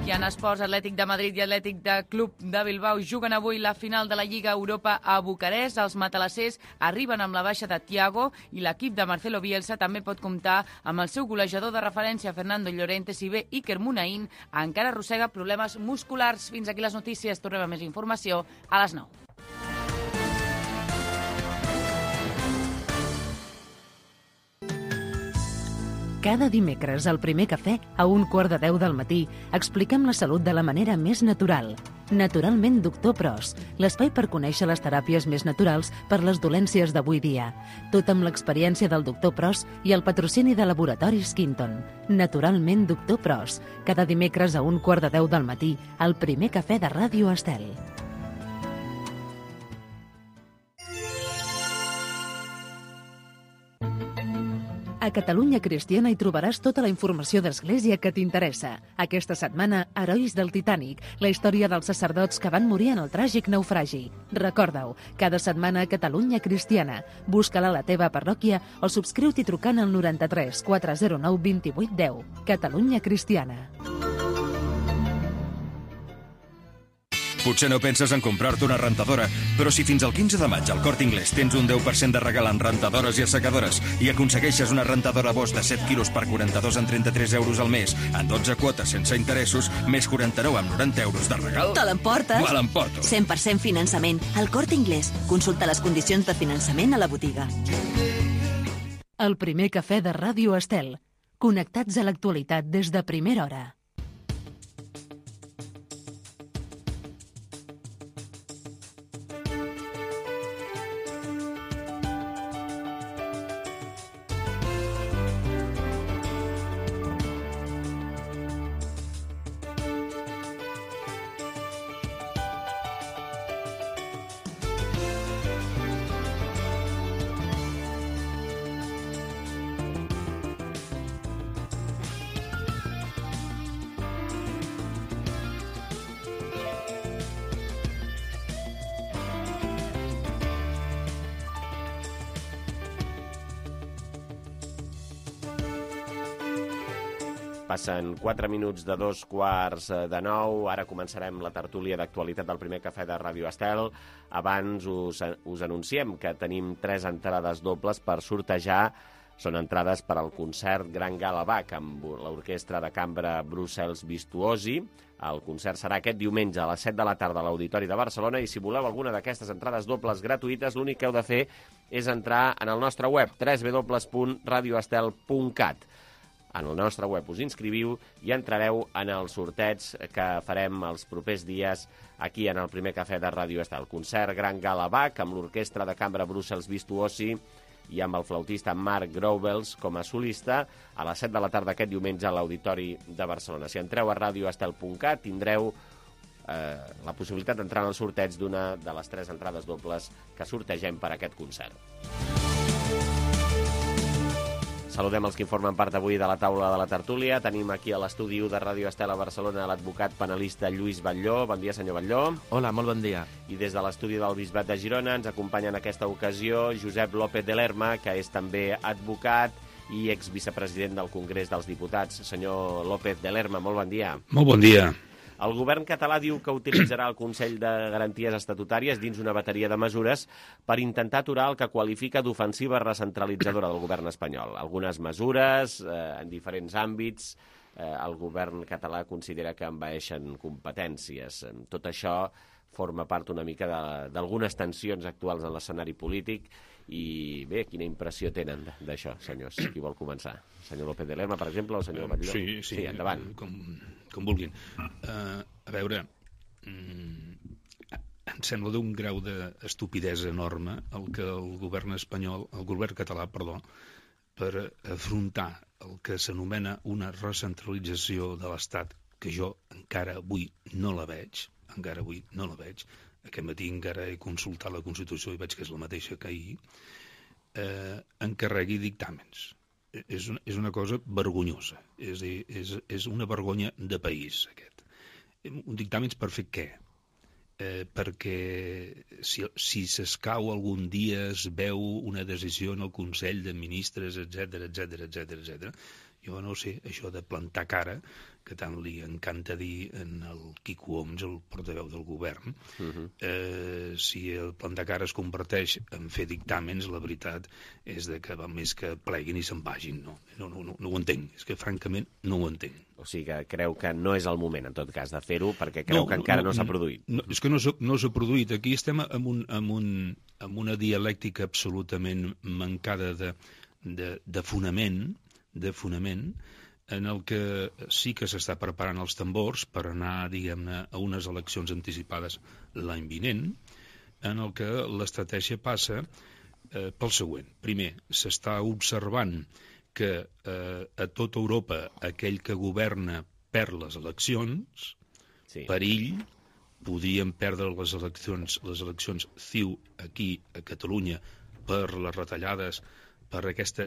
I en esports, Atlètic de Madrid i Atlètic de Club de Bilbao juguen avui la final de la Lliga Europa a Bucarest. Els matalassers arriben amb la baixa de Thiago i l'equip de Marcelo Bielsa també pot comptar amb el seu golejador de referència, Fernando Llorente, si bé Iker Muniain encara arrossega problemes musculars. Fins aquí les notícies. Tornem a més informació a les 9. Cada dimecres, al Primer Cafè, a 9:15 del matí, expliquem la salut de la manera més natural. Naturalment Doctor Pros, l'espai per conèixer les teràpies més naturals per les dolències d'avui dia. Tot amb l'experiència del Doctor Pros i el patrocini de Laboratoris Quinton. Naturalment Doctor Pros, cada dimecres a 9:15 del matí, al Primer Cafè de Ràdio Estel. A Catalunya Cristiana hi trobaràs tota la informació d'Església que t'interessa. Aquesta setmana, Herois del Titànic, la història dels sacerdots que van morir en el tràgic naufragi. Recorda-ho, cada setmana a Catalunya Cristiana. Busca-la a la teva parròquia o subscriu-t'hi trucant al 93 409 28 10. Catalunya Cristiana. Potser no penses en comprar-te una rentadora, però si fins al 15 de maig al Corte Inglés tens un 10% de regal en rentadores i assecadores i aconsegueixes una rentadora Bosch de 7 quilos per 42 en 33 euros al mes, en 12 quotes sense interessos, més 49 amb 90 euros de regal... Te l'emportes? Me l'emporto. 100% finançament. Al Corte Inglés. Consulta les condicions de finançament a la botiga. El Primer Cafè de Ràdio Estel. Connectats a l'actualitat des de primera hora. Passen 4 minuts de 8:45 Ara començarem la tertúlia d'actualitat del primer cafè de Ràdio Estel. Abans us anunciem que tenim 3 entrades dobles per sortejar. Són entrades per al concert Gran Gala Bach amb l'orquestra de cambra Brussels Virtuosi. El concert serà aquest diumenge a les 7 de la tarda a l'Auditori de Barcelona i si voleu alguna d'aquestes entrades dobles gratuïtes, l'únic que heu de fer és entrar en el nostre web www.radioestel.cat. En el nostre web us inscriviu i entrareu en el sorteig que farem els propers dies aquí en el primer cafè de Ràdio Estel. Concert Gran Gala Bach amb l'orquestra de cambra Brussels Virtuosi i amb el flautista Marc Grouvels com a solista a les 7 de la tarda aquest diumenge a l'Auditori de Barcelona. Si entreu a radioestel.cat tindreu la possibilitat d'entrar en el sorteig d'una de les 3 entrades dobles que sortegem per aquest concert. Saludem els que informen part avui de la taula de la tertúlia. Tenim aquí a l'estudi de Ràdio Estel a Barcelona l'advocat penalista Lluís Batlló. Bon dia, senyor Batlló. Hola, molt bon dia. I des de l'estudi del Bisbat de Girona ens acompanya en aquesta ocasió Josep López de Lerma, que és també advocat i exvicepresident del Congrés dels Diputats. Senyor López de Lerma, molt bon dia. Molt bon dia. El govern català diu que utilitzarà el Consell de Garanties Estatutàries dins una bateria de mesures per intentar aturar el que qualifica d'ofensiva recentralitzadora del govern espanyol. Algunes mesures en diferents àmbits. El govern català considera que envaeixen competències. Tot això forma part una mica d'algunes tensions actuals en l'escenari polític. I bé, quina impressió tenen d'això, senyors? Qui vol començar? Senyor López de Lerma, per exemple, o el senyor Batlló? Sí, endavant. Com vulguin. A veure, em sembla d'un grau d'estupidesa enorme el que el govern català, per afrontar el que s'anomena una recentralització de l'Estat, que jo encara avui no la veig. Aquest matí encara he consultat la Constitució i veig que és la mateixa que ahir, encarregui dictàmens. És una cosa vergonyosa. És una vergonya de país, aquest. Un dictàmens per fer què? Perquè si s'escau algun dia es veu una decisió en el Consell de Ministres, etc. Jo no sé, això de plantar cara, que tant li encanta dir en el Quico Homs, el portaveu del govern, si el plantar cara es converteix en fer dictàmens, la veritat és que val més que pleguin i se'n vagin. No ho entenc, és que francament no ho entenc. O sigui que creu que no és el moment, en tot cas, de fer-ho, perquè creu que encara no s'ha produït. És que no s'ha produït. Aquí estem amb una dialèctica absolutament mancada de fonament, en el que sí que s'està preparant els tambors per anar, diguem-ne, a unes eleccions anticipades l'any vinent, en el que l'estratègia passa pel següent. Primer, s'està observant que a tota Europa aquell que governa perd les eleccions, perill, podrien perdre les eleccions CiU aquí a Catalunya per les retallades, per aquest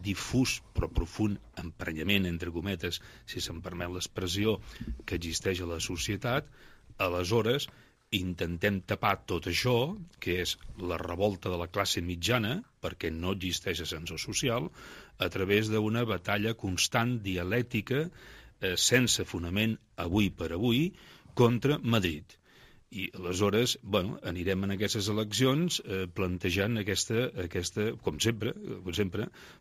difús però profund emprenyament, entre cometes, si se'm permet l'expressió, que existeix a la societat. Aleshores, intentem tapar tot això, que és la revolta de la classe mitjana, perquè no existeix ascensor social, a través d'una batalla constant, dialèctica, sense fonament, avui per avui, contra Madrid. I aleshores, anirem en aquestes eleccions plantejant aquesta, com sempre,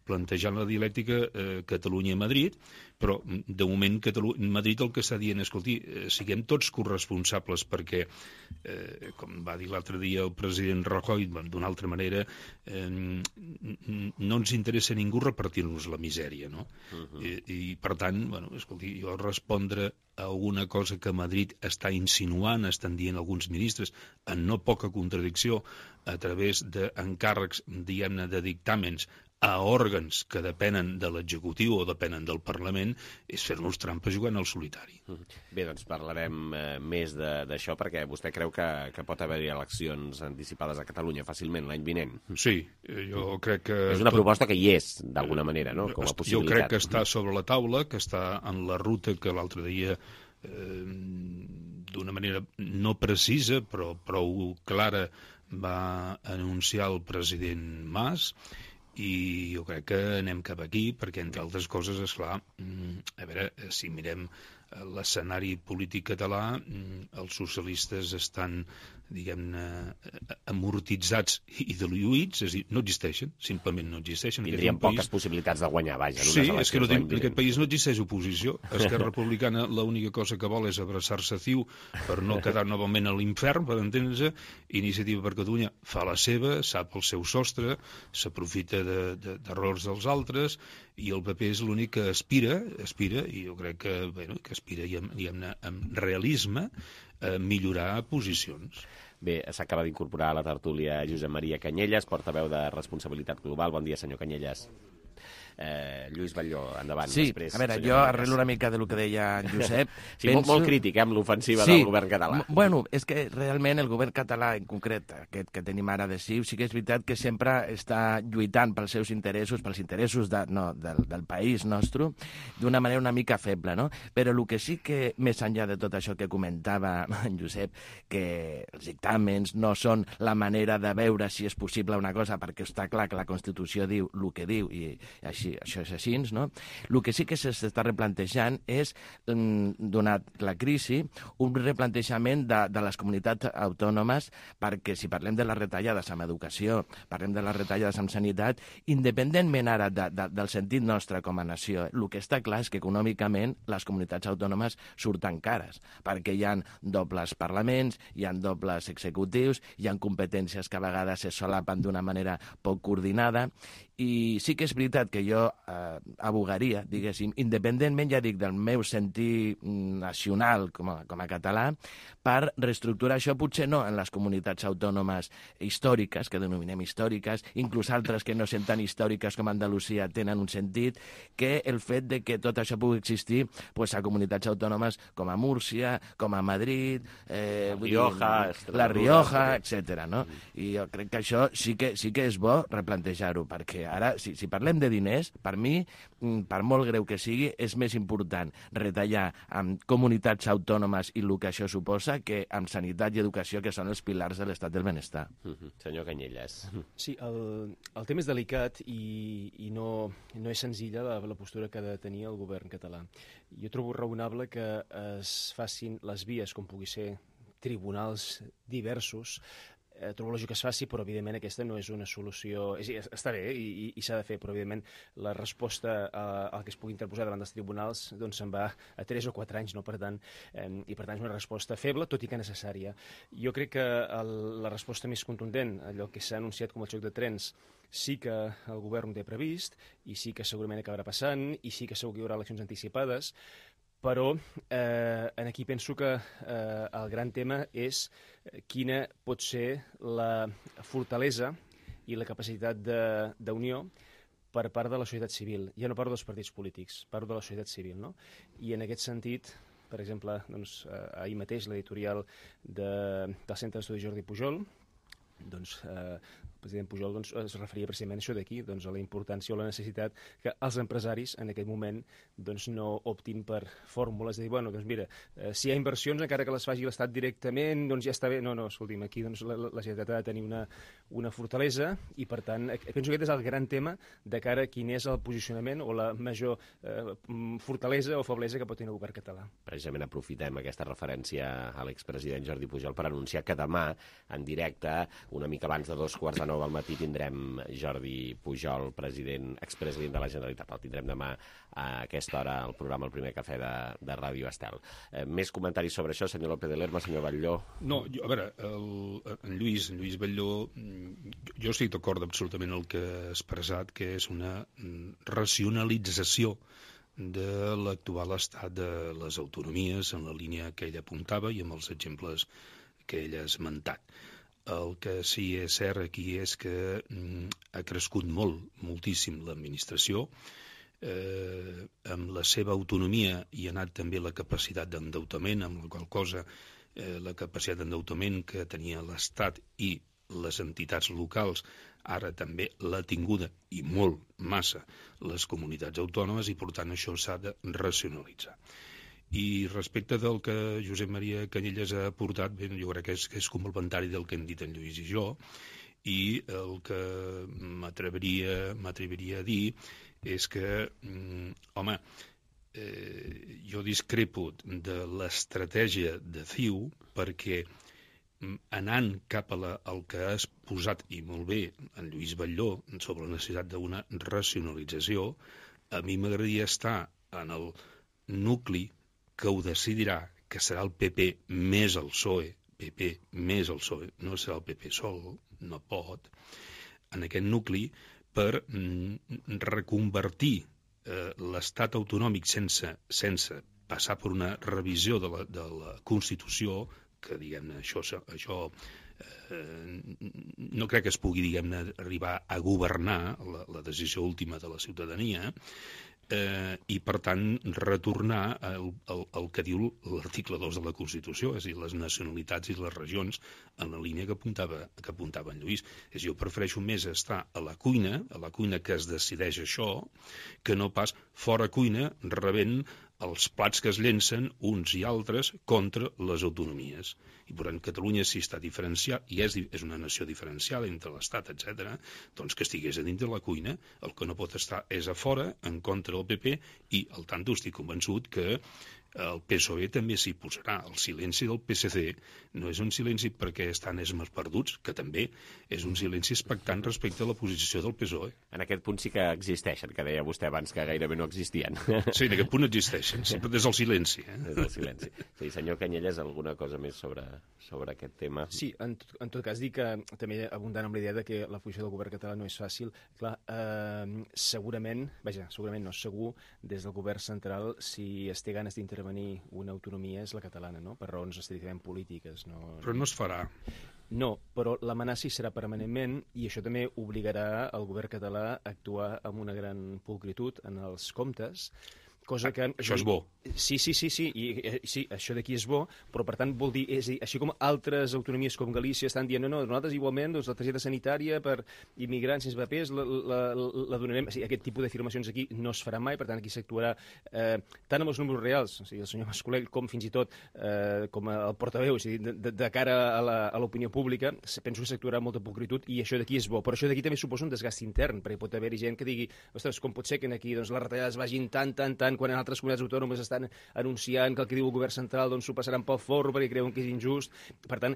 plantejant la dialèctica Catalunya-Madrid, però de moment Madrid el que està dient, escolti, siguem tots corresponsables perquè, com va dir l'altre dia el president Rajoy, d'una altra manera, no ens interessa a ningú repartir-nos la misèria, no? I per tant, escolti, jo respondre a alguna cosa que Madrid està insinuant, estan dient alguns ministres, en no poca contradicció, a través d'encàrrecs, diguem-ne, de dictàmens a òrgans que depenen de l'executiu o depenen del Parlament, és fer-nos trampes jugant al solitari. Bé, doncs parlarem més d'això, perquè vostè creu que pot haver-hi eleccions anticipades a Catalunya fàcilment l'any vinent. Sí, jo crec que... És una proposta que hi és, d'alguna manera, no?, com a possibilitat. Jo crec que està sobre la taula, que està en la ruta que l'altre dia, d'una manera no precisa, però prou clara, va anunciar el president Mas, i jo crec que anem cap aquí, perquè, entre altres coses, esclar, a veure, si mirem l'escenari polític català, els socialistes estan, diguem-ne, amortitzats i diluïts, és a dir, no existeixen, simplement no existeixen. Tindrien poques possibilitats de guanyar, vaja. Sí, és que en aquest país no existeix oposició. Esquerra Republicana l'única cosa que vol és abraçar-se a CiU per no quedar novament a l'infern, per entendre-se. Iniciativa per Catalunya fa la seva, sap el seu sostre, s'aprofita d'errors dels altres, i el PP és l'únic que aspira, i jo crec que aspira, diguem-ne, amb realisme, a millorar posicions. Bé, s'acaba d'incorporar a la tertúlia Josep Maria Canyelles, portaveu de Responsabilitat Global. Bon dia, senyor Canyelles. Lluís Batlló, endavant. Sí, després, a veure, jo arrelo una mica del que deia en Josep. Sí, penso... molt crític, amb l'ofensiva del govern català. Bueno, és que realment el govern català, en concret, aquest que tenim ara de CiU, sí que és veritat que sempre està lluitant pels seus interessos, pels interessos del país nostre, d'una manera una mica feble, no? Però el que sí que, més enllà de tot això que comentava en Josep, que els dictàmens no són la manera de veure si és possible una cosa, perquè està clar que la Constitució diu el que diu, i així això és així, no? El que sí que s'està replantejant és, donat la crisi, un replantejament de les comunitats autònomes, perquè si parlem de les retallades en educació, parlem de les retallades en sanitat, independentment ara del sentit nostre com a nació, el que està clar és que econòmicament les comunitats autònomes surten cares, perquè hi ha dobles parlaments, hi ha dobles executius, hi ha competències que a vegades se solapen d'una manera poc coordinada, i sí que és veritat que jo abogaria, diguéssim, independentment, ja dic, del meu sentit nacional com a català, per reestructurar això, potser no en les comunitats autònomes històriques, que denominem històriques, inclús altres que no són tan històriques com Andalusia tenen un sentit, que el fet de que tot això pugui existir pues, a comunitats autònomes com a Múrcia, com a Madrid, La Rioja, etc. No? I jo crec que això sí que és bo replantejar-ho, perquè ara, si parlem de diners, per mi, per molt greu que sigui, és més important retallar amb comunitats autònomes i el que això suposa que amb sanitat i educació, que són els pilars de l'estat del benestar. Senyor Canyelles. Sí, el tema és delicat i no és senzilla la postura que ha de tenir el govern català. Jo trobo raonable que es facin les vies, com pugui ser tribunals diversos, trobo lògic que es faci, però evidentment aquesta no és una solució... Està bé i s'ha de fer, però evidentment la resposta al que es pugui interposar davant dels tribunals doncs se'n va a 3 o 4 anys, no? Per tant, és una resposta feble, tot i que necessària. Jo crec que la resposta més contundent, allò que s'ha anunciat com el xoc de trens, sí que el govern ho té previst, i sí que segurament acabarà passant, i sí que segur que hi haurà eleccions anticipades, però aquí penso que el gran tema és quina pot ser la fortalesa i la capacitat d'unió per part de la societat civil. Ja no parlo dels partits polítics, parlo de la societat civil, no? I en aquest sentit, per exemple, doncs, ahir mateix l'editorial del Centre d'Estudis Jordi Pujol, doncs, el president Pujol es referia precisament a això d'aquí, a la importància o la necessitat que els empresaris en aquest moment no optin per fórmules de dir, bueno, doncs mira, si hi ha inversions, encara que les faci l'Estat directament, doncs ja està bé. No, escolti'm, aquí la Generalitat ha de tenir una fortalesa i, per tant, penso que aquest és el gran tema de cara a quin és el posicionament o la major fortalesa o feblesa que pot tenir el govern català. Precisament aprofitem aquesta referència a l'expresident Jordi Pujol per anunciar que demà, en directe, una mica abans de 2:15 al matí, tindrem Jordi Pujol, expresident de la Generalitat. El tindrem demà a aquesta hora al programa El Primer Cafè de Ràdio Estel. Més comentaris sobre això, senyor López de Lerma, senyor Batlló? No, a veure, en Lluís Batlló, jo estic d'acord absolutament el que ha expressat, que és una racionalització de l'actual estat de les autonomies en la línia que ell apuntava i amb els exemples que ell ha esmentat. El que sí és cert aquí és que ha crescut moltíssim l'administració, amb la seva autonomia hi ha anat també la capacitat d'endeutament, amb la qual cosa la capacitat d'endeutament que tenia l'Estat i les entitats locals ara també l'ha tinguda, i molt, massa, les comunitats autònomes, i per tant això s'ha de racionalitzar. I respecte del que Josep Maria Canyelles ha aportat, bé, jo crec que és complementari del que hem dit en Lluís i jo, i el que m'atreviria a dir és que, home, jo discrepo de l'estratègia de CiU perquè anant cap al que has posat, i molt bé, en Lluís Batlló, sobre la necessitat d'una racionalització, a mi m'agradaria estar en el nucli que ho decidirà, que serà el PP més el PSOE, no serà el PP sol, no pot, en aquest nucli per reconvertir l'estat autonòmic sense passar per una revisió de la Constitució, que, diguem-ne, això no crec que es pugui, diguem-ne, arribar a governar la decisió última de la ciutadania, i, per tant, retornar al que diu l'article 2 de la Constitució, és a dir, les nacionalitats i les regions, en la línia que apuntava en Lluís. Jo prefereixo més estar a la cuina que es decideix això, que no pas fora cuina rebent els plats que es llencen uns i altres contra les autonomies. I, per tant, Catalunya, si està diferenciat, i és una nació diferenciada entre l'Estat, etc., doncs que estigués a dintre la cuina. El que no pot estar és a fora, en contra del PP, i, al tanto, estic convençut que el PSOE també s'hi posarà. El silenci del PSC no és un silenci perquè estan esmes perduts, que també és un silenci expectant respecte a la posició del PSOE. En aquest punt sí que existeixen, que deia vostè abans que gairebé no existien. Sí, en aquest punt existeixen, sempre des del silenci. Des del silenci. Sí, senyor Canyelles, alguna cosa més sobre aquest tema? Sí, en tot cas, dic que també abundant amb la idea de que la posició del govern català no és fàcil. Clar, segurament no, segur, des del govern central, si es té ganes d'intervenir una autonomia és la catalana, no? Per raons estrictament polítiques. Però no es farà. No, però l'amenaça hi serà permanentment i això també obligarà el govern català a actuar amb una gran pulcritud en els comptes, cosa que... Això és bo. Sí, això d'aquí és bo, però per tant vol dir, així com altres autonomies com Galícia estan dient no, nosaltres igualment la targeta sanitària per immigrants sense papers la donarem, aquest tipus d'afirmacions aquí no es farà mai, per tant aquí s'actuarà tant amb els números reals, o sigui, el senyor Mascolell, com fins i tot com el portaveu, és a dir, de cara a l'opinió pública, penso que s'actuarà amb molta pulcritud i això d'aquí és bo, però això d'aquí també suposa un desgast intern, perquè pot haver-hi gent que digui, ostres, com pot ser que aquí les retallades vagin tant, quan en altres comunitats autònomes estan anunciant que el que diu el govern central s'ho passaran pel forro perquè creuen que és injust. Per tant,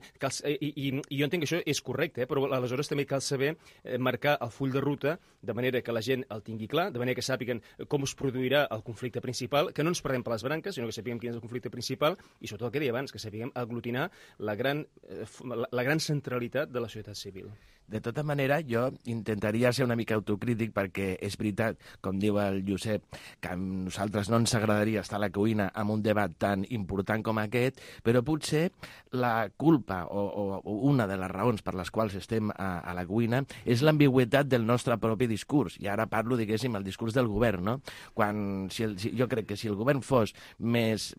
i jo entenc que això és correcte, però aleshores també cal saber marcar el full de ruta de manera que la gent el tingui clar, de manera que sàpiguen com es produirà el conflicte principal, que no ens perdem per les branques, sinó que sapiguem quin és el conflicte principal i sobretot el que deia abans, que sapiguem aglutinar la gran centralitat de la societat civil. De tota manera, jo intentaria ser una mica autocrític perquè és veritat, com diu el Josep, que a nosaltres no ens agradaria estar a la cuina amb un debat tan important com aquest, però potser la culpa o una de les raons per les quals estem a la cuina és l'ambigüitat del nostre propi discurs. I ara parlo, diguéssim, el discurs del govern, no? Jo crec que si el govern fos més,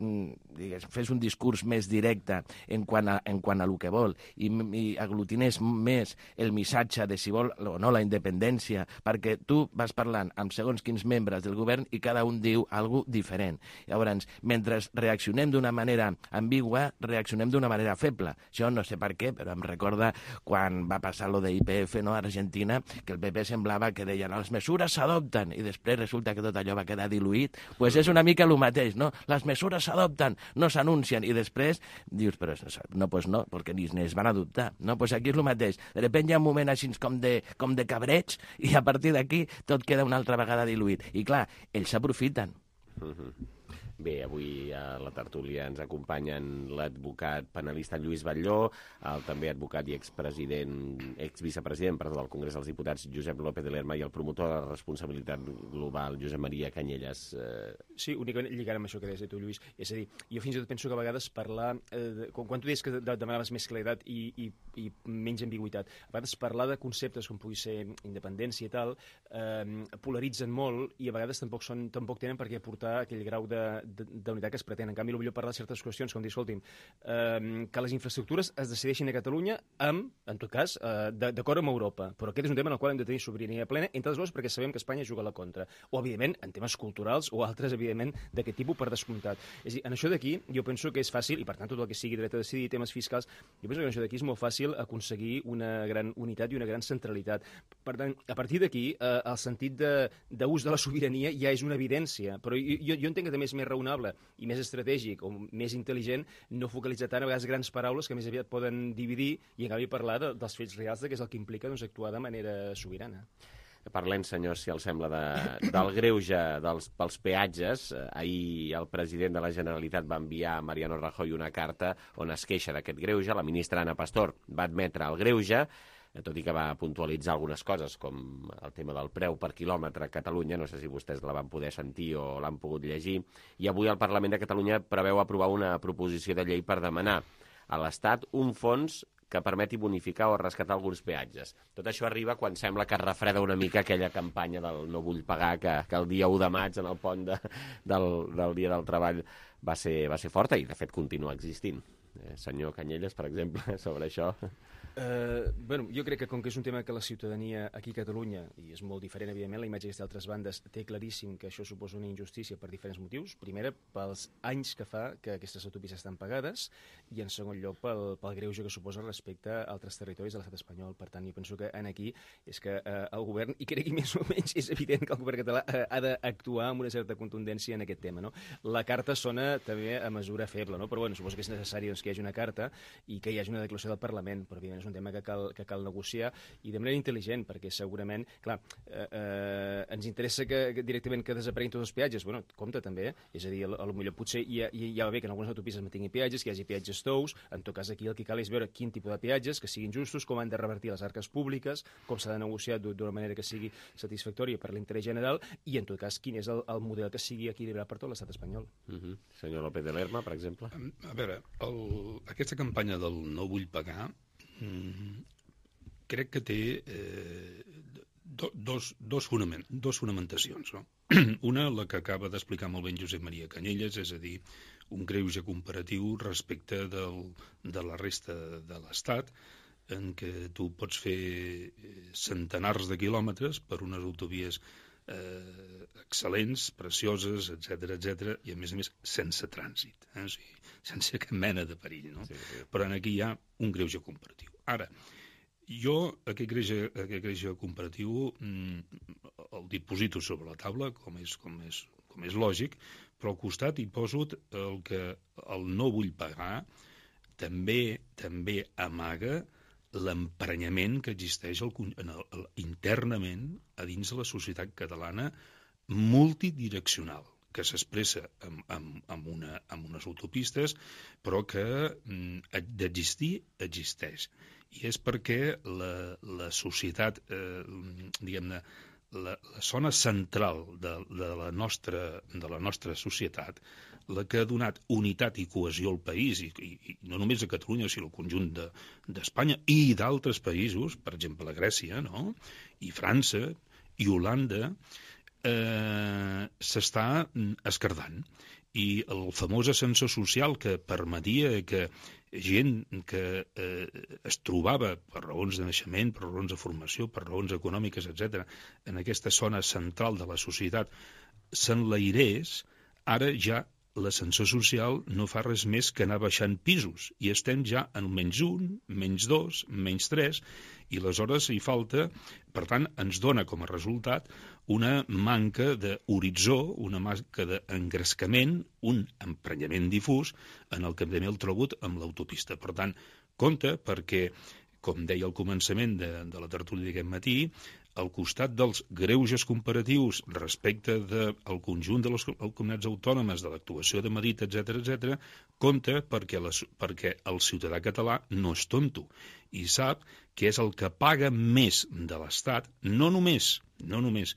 fes un discurs més directe en quant a lo que vol i aglutinés més el missatge de si vol o no la independència, perquè tu vas parlant amb segons quins membres del govern i cada un diu alguna cosa diferent. Llavors, mentre reaccionem d'una manera ambigua, reaccionem d'una manera feble. Jo no sé per què, però em recorda quan va passar lo de YPF, no, a Argentina, que el PP semblava que deien les mesures s'adopten i després resulta que tot allò va quedar diluït. Pues és una mica el mateix, no? Les mesures s'adopten, no s'anuncien i després dius, però no, pues no, perquè ni es van adoptar. No, pues aquí és el mateix. De repente hi ha un moment així com de cabreig i a partir d'aquí tot queda una altra vegada diluït. I clar, ells s'aprofiten. Bé, avui a la tertúlia ens acompanyen l'advocat penalista Lluís Batlló, el també advocat i exvicepresident del Congrés dels Diputats Josep López de Lerma i el promotor de la responsabilitat global Josep Maria Canyelles. Sí, únicament lligant amb això que deies tu, Lluís. És a dir, jo fins i tot penso que a vegades parlar, quan tu deies que demanaves més claredat i menys ambigüitat, a vegades parlar de conceptes com pugui ser independència i tal, polaritzen molt i a vegades tampoc tenen per què aportar aquell grau de d'unitat que es pretén. En canvi, potser parlar de certes qüestions, com dir, escolti'm, que les infraestructures es decideixin a Catalunya en tot cas, d'acord amb Europa. Però aquest és un tema en el qual hem de tenir sobirania plena, entre les coses perquè sabem que Espanya juga a la contra. O, evidentment, en temes culturals o altres, evidentment, d'aquest tipus per descomptat. És a dir, en això d'aquí, jo penso que és fàcil, i per tant tot el que sigui dret a decidir, temes fiscals, jo penso que en això d'aquí és molt fàcil aconseguir una gran unitat i una gran centralitat. Per tant, a partir d'aquí, el sentit d'ús de la sobirania ja és una evidència, però jo entenc que també és més raonable i més estratègic o més intel·ligent no focalitzar tant a vegades grans paraules que més aviat poden dividir i en canvi parlar dels fets reals, que és el que implica actuar de manera sobirana. Parlem, senyors, si els sembla, del greuge pels peatges. Ahir el president de la Generalitat va enviar a Mariano Rajoy una carta on es queixa d'aquest greuge. La ministra Ana Pastor va admetre el greuge, tot i que va puntualitzar algunes coses, com el tema del preu per quilòmetre a Catalunya. No sé si vostès la van poder sentir o l'han pogut llegir. I avui el Parlament de Catalunya preveu aprovar una proposició de llei per demanar a l'Estat un fons que permeti bonificar o rescatar alguns peatges. Tot això arriba quan sembla que es refreda una mica aquella campanya del no vull pagar, que el dia 1 de maig en el pont del Dia del Treball va ser forta i, de fet, continua existint. Senyor Canyelles, per exemple, sobre això. Bueno, jo crec que com que és un tema que la ciutadania aquí a Catalunya, i és molt diferent, evidentment, la imatge que té d'altres bandes, té claríssim que això suposa una injustícia per diferents motius. Primera, pels anys que fa que aquestes autopistes estan pagades, i en segon lloc pel greuge que suposa respecte a altres territoris de l'estat espanyol. Per tant, jo penso que aquí és que el govern, i crec que més o menys és evident que el govern català ha d'actuar amb una certa contundència en aquest tema, no? La carta sona també a mesura feble, no? Però bueno, suposo que és necessari que hi hagi una carta i que hi hagi una declaració del Parlament, però evidentment és un tema que cal negociar i de manera intel·ligent, perquè segurament, clar, ens interessa directament que desapareguin tots els peatges. Bueno, compte també, és a dir, potser potser ja va bé que en algunes autopistes mantinguin peatges, que hi hagi peatges tous. En tot cas, aquí el que cal és veure quin tipus de peatges, que siguin justos, com han de revertir les arques públiques, com s'ha de negociar d'una manera que sigui satisfactòria per l'interès general i, en tot cas, quin és el model que sigui equilibrat per tot l'estat espanyol. Senyor López de Lerma, per exemple. A veure, aquesta campanya del no vull pagar crec que té dos fonamentacions, no? Una, la que acaba d'explicar molt ben Josep Maria Canyelles, és a dir, un greuge comparatiu respecte de la resta de l'Estat, en què tu pots fer centenars de quilòmetres per unes autovies excel·lents, precioses, etc, i a més sense trànsit, o sigui, sense cap mena de perill, no? Sí. Però aquí hi ha un greuge comparatiu. Ara, jo aquest greuge comparatiu el diposito sobre la taula, com és lògic, però al costat hi poso el no vull pagar també amaga l'emprenyament que existeix internament a dins de la societat catalana multidireccional, que s'expressa amb unes autopistes, però que d'existir, existeix. I és perquè la societat, diguem-ne, la zona central de la nostra societat, la que ha donat unitat i cohesió al país, i no només a Catalunya, sinó al conjunt d'Espanya i d'altres països, per exemple a Grècia, no? I França, i Holanda, s'està esquerdant. I el famós ascensor social que permetia que gent que es trobava per raons de naixement, per raons de formació, per raons econòmiques, etc., en aquesta zona central de la societat s'enlairés, ara ja l'ascensor social no fa res més que anar baixant pisos i estem ja en -1, -2, -3 i aleshores hi falta, per tant ens dona com a resultat una manca d'horitzó, una manca d'engrescament, un emprenyament difús en el que també el trobo amb l'autopista. Per tant, compte perquè, com deia al començament de la tertúlia d'aquest matí, al costat dels greuges comparatius respecte del conjunt de les comunitats autònomes, de l'actuació de Madrid, etc., compte perquè el ciutadà català no és tonto i sap que és el que paga més de l'Estat, no només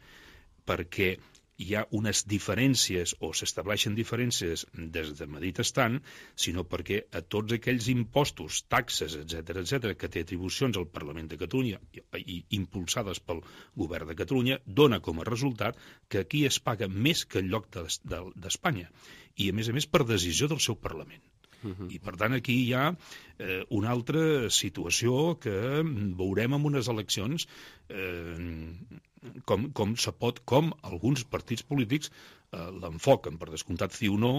perquè hi ha unes diferències o s'estableixen diferències des de Madrid estant, sinó perquè a tots aquells impostos, taxes, etc que té atribucions al Parlament de Catalunya i impulsades pel govern de Catalunya, dona com a resultat que aquí es paga més que el lloc d'Espanya i a més per decisió del seu Parlament. I per tant aquí hi ha una altra situació que veurem en unes eleccions com alguns partits polítics l'enfoquen. Per descomptat, CiU no,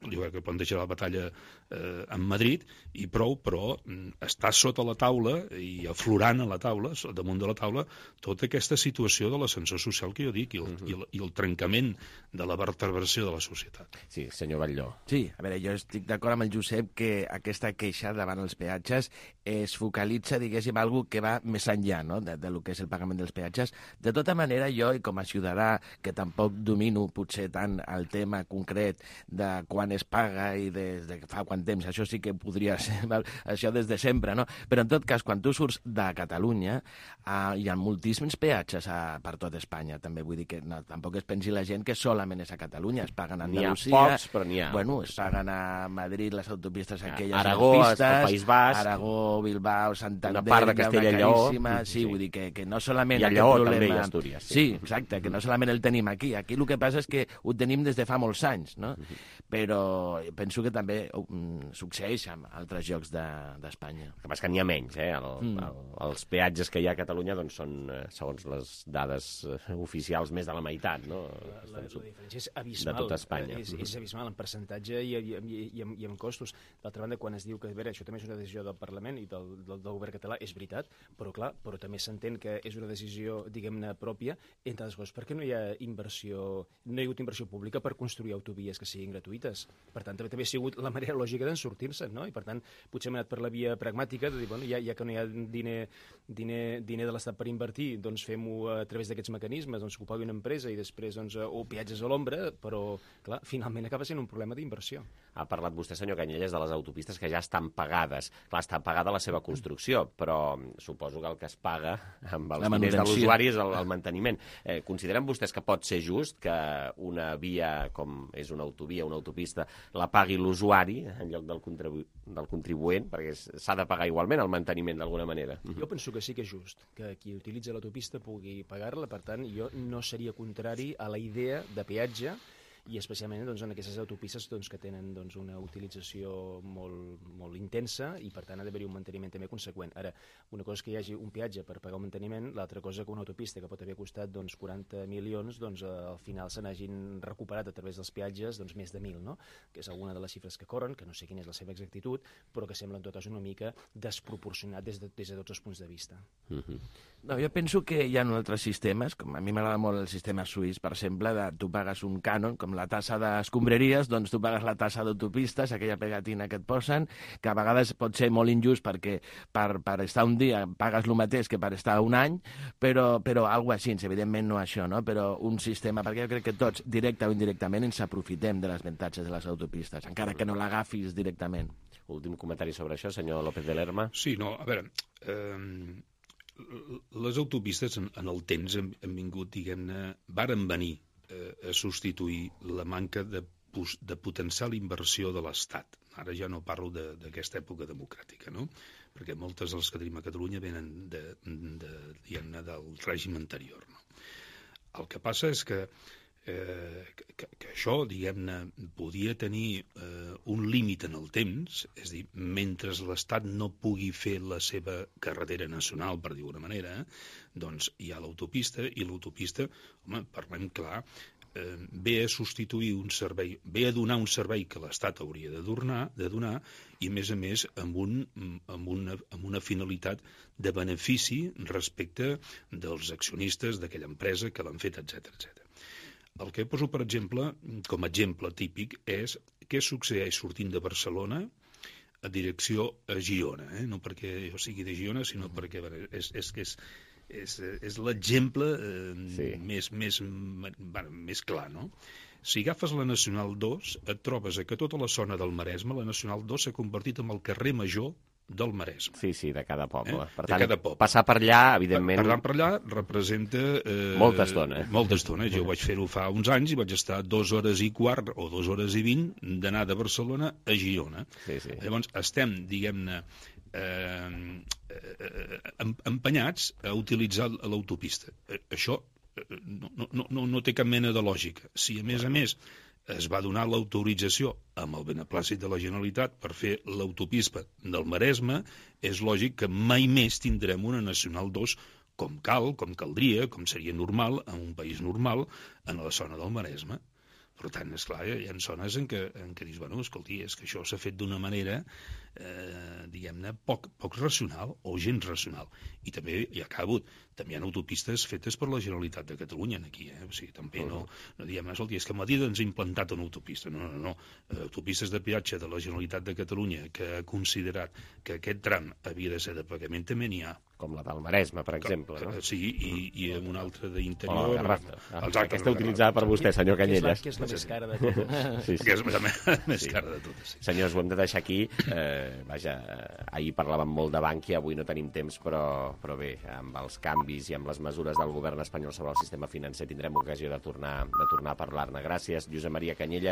jo crec que planteja la batalla en Madrid i prou, però està sota la taula i aflorant a la taula, damunt de la taula, tota aquesta situació de l'ascensor social que jo dic i el trencament de la vertebració de la societat. Sí, senyor Batlló. Sí, a veure, jo estic d'acord amb el Josep que aquesta queixa davant els peatges es focalitza, diguéssim, algo que va més enllà, no?, de lo que és el pagament dels peatges. De tota manera, jo, com a ciutadà, que tampoc domino potser tant el tema concret de quan es paga i des de fa quant temps, això sí que podria ser això des de sempre, no? Però en tot cas, quan tu surts de Catalunya, hi ha moltíssims peatges per tot Espanya, també vull dir que tampoc es pensi la gent que solament és a Catalunya, es paguen a Andalusia, n'hi ha pocs, però n'hi ha. Bueno, es paguen a Madrid les autopistes aquelles Aragó, pistes, el País Basc, Aragó, Bilbao, Santander, una part de Castella i Lleó, sí, vull dir que no solament i a Lleó també, i a Astúries. Sí, exacte, que no solament el tenim aquí. Aquí el que passa és que ho tenim des de fa molts anys, no? Però penso que també succeeix en altres llocs d'Espanya. El que passa que n'hi ha menys, els peatges que hi ha a Catalunya doncs són, segons les dades oficials, més de la meitat, no? La diferència és abismal. De tot Espanya. És abismal en percentatge i en costos. D'altra banda, quan es diu que, a veure, això també és una decisió del Parlament i del govern català, és veritat, però clar, però també s'entén que és una decisió, diguem-ne, pròpia, entre altres coses, perquè no hi ha hagut inversió pública per construir autovies que siguin gratuïtes. Per tant, també ha sigut la manera lògica d'en sortir-se, no? I per tant, potser hem anat per la via pragmàtica de dir, bueno, ja que no hi ha diner de l'Estat per invertir, doncs fem-ho a través d'aquests mecanismes, doncs que ho pagui una empresa i després, doncs, o peatges a l'ombra, però, clar, finalment acaba sent un problema d'inversió. Ha parlat vostè, senyor Canyelles, de les autopistes que ja estan pagades. Clar, està pagada la seva construcció, però suposo que el que es paga amb els diners de l'usuari és el manteniment. Consideren vostès que pot ser just que una via, com és una autovia, una autopista, la pagui l'usuari en lloc del contribuent, perquè s'ha de pagar igualment el manteniment d'alguna manera? Jo penso que sí que és just, que qui utilitza l'autopista pugui pagar-la, per tant, jo no seria contrari a la idea de peatge i especialment doncs, en aquestes autopistes doncs, que tenen doncs, una utilització molt intensa i per tant ha d'haver-hi un manteniment també conseqüent. Ara, una cosa és que hi hagi un peatge per pagar el manteniment, l'altra cosa que una autopista que pot haver costat doncs, 40 milions, doncs, al final se n'hagin recuperat a través dels peatges doncs, més de 1.000, no? Que és alguna de les xifres que corren, que no sé quina és la seva exactitud, però que sembla en tot cas una mica desproporcionat des de tots els punts de vista. No, jo penso que hi ha altres sistemes, com a mi m'agrada molt el sistema suís, per exemple, tu pagues un cànon, com la tassa d'escombraries, doncs tu pagues la tassa d'autopistes, aquella pegatina que et posen, que a vegades pot ser molt injust perquè per estar un dia pagues el mateix que per estar un any, però alguna cosa així, evidentment no això, no? Però un sistema, perquè jo crec que tots, directe o indirectament, ens aprofitem de les avantatges de les autopistes, encara que no l'agafis directament. Últim comentari sobre això, senyor López de Lerma. Sí, no, a veure, les autopistes en el temps han vingut, diguem-ne, varen venir a substituir la manca de potencial inversió de l'Estat. Ara ja no parlo d'aquesta època democràtica, no? Perquè moltes de les que tenim a Catalunya venen del règim anterior. No? El que passa és que això, diguem-ne, podia tenir un límit en el temps, és a dir, mentre l'Estat no pugui fer la seva carretera nacional, per dir-ho d'una manera, doncs hi ha l'autopista, i l'autopista, home, parlem clar, ve a substituir un servei, ve a donar un servei que l'Estat hauria de donar, i a més amb una finalitat de benefici respecte dels accionistes d'aquella empresa que l'han fet, etc. El que poso, per exemple, com a exemple típic, és què succeeix sortint de Barcelona a direcció a Girona. No perquè jo sigui de Girona, sinó perquè és l'exemple més clar, no? Si agafes la Nacional 2, et trobes que tota la zona del Maresme, la Nacional 2 s'ha convertit en el carrer major del Maresme. Sí, de cada poble. Per De tant, cada poble. passar per allà, evidentment... Passar per allà representa... Molta estona. Molta estona. Jo vaig fer-ho fa uns anys i vaig estar 2 hores i quart o 2 hores i 20 d'anar de Barcelona a Girona. Sí. Llavors estem, diguem-ne, empenyats a utilitzar l'autopista. Això no té cap mena de lògica. Si, a més, es va donar l'autorització amb el beneplàcit de la Generalitat per fer l'autopista del Maresme, és lògic que mai més tindrem una Nacional 2 com caldria, com seria normal, en un país normal, en la zona del Maresme. Per tant, esclar, hi ha zones en què dius, bueno, escolti, és que això s'ha fet d'una manera, diguem-ne, poc racional o gens racional. I també hi ha autopistes fetes per la Generalitat de Catalunya aquí, O sigui, també no diem, escolti, és que a Madrid ens ha implantat una autopista. No. Autopistes de peatge de la Generalitat de Catalunya que ha considerat que aquest tram havia de ser de pagament també n'hi ha. Com la del Maresme, per exemple, no? Sí, i una altra d'interior. O la Garraf. Aquesta utilitzada per vostè, senyor Canyelles. Que és la més cara de totes. Sí. Que és la més cara de totes. Senyors, ho hem de deixar aquí. Vaja, ahir parlàvem molt de Bankia, avui no tenim temps, però bé, amb els canvis i amb les mesures del govern espanyol sobre el sistema financer tindrem ocasió de tornar a parlar-ne. Gràcies, Josep Maria Canyelles.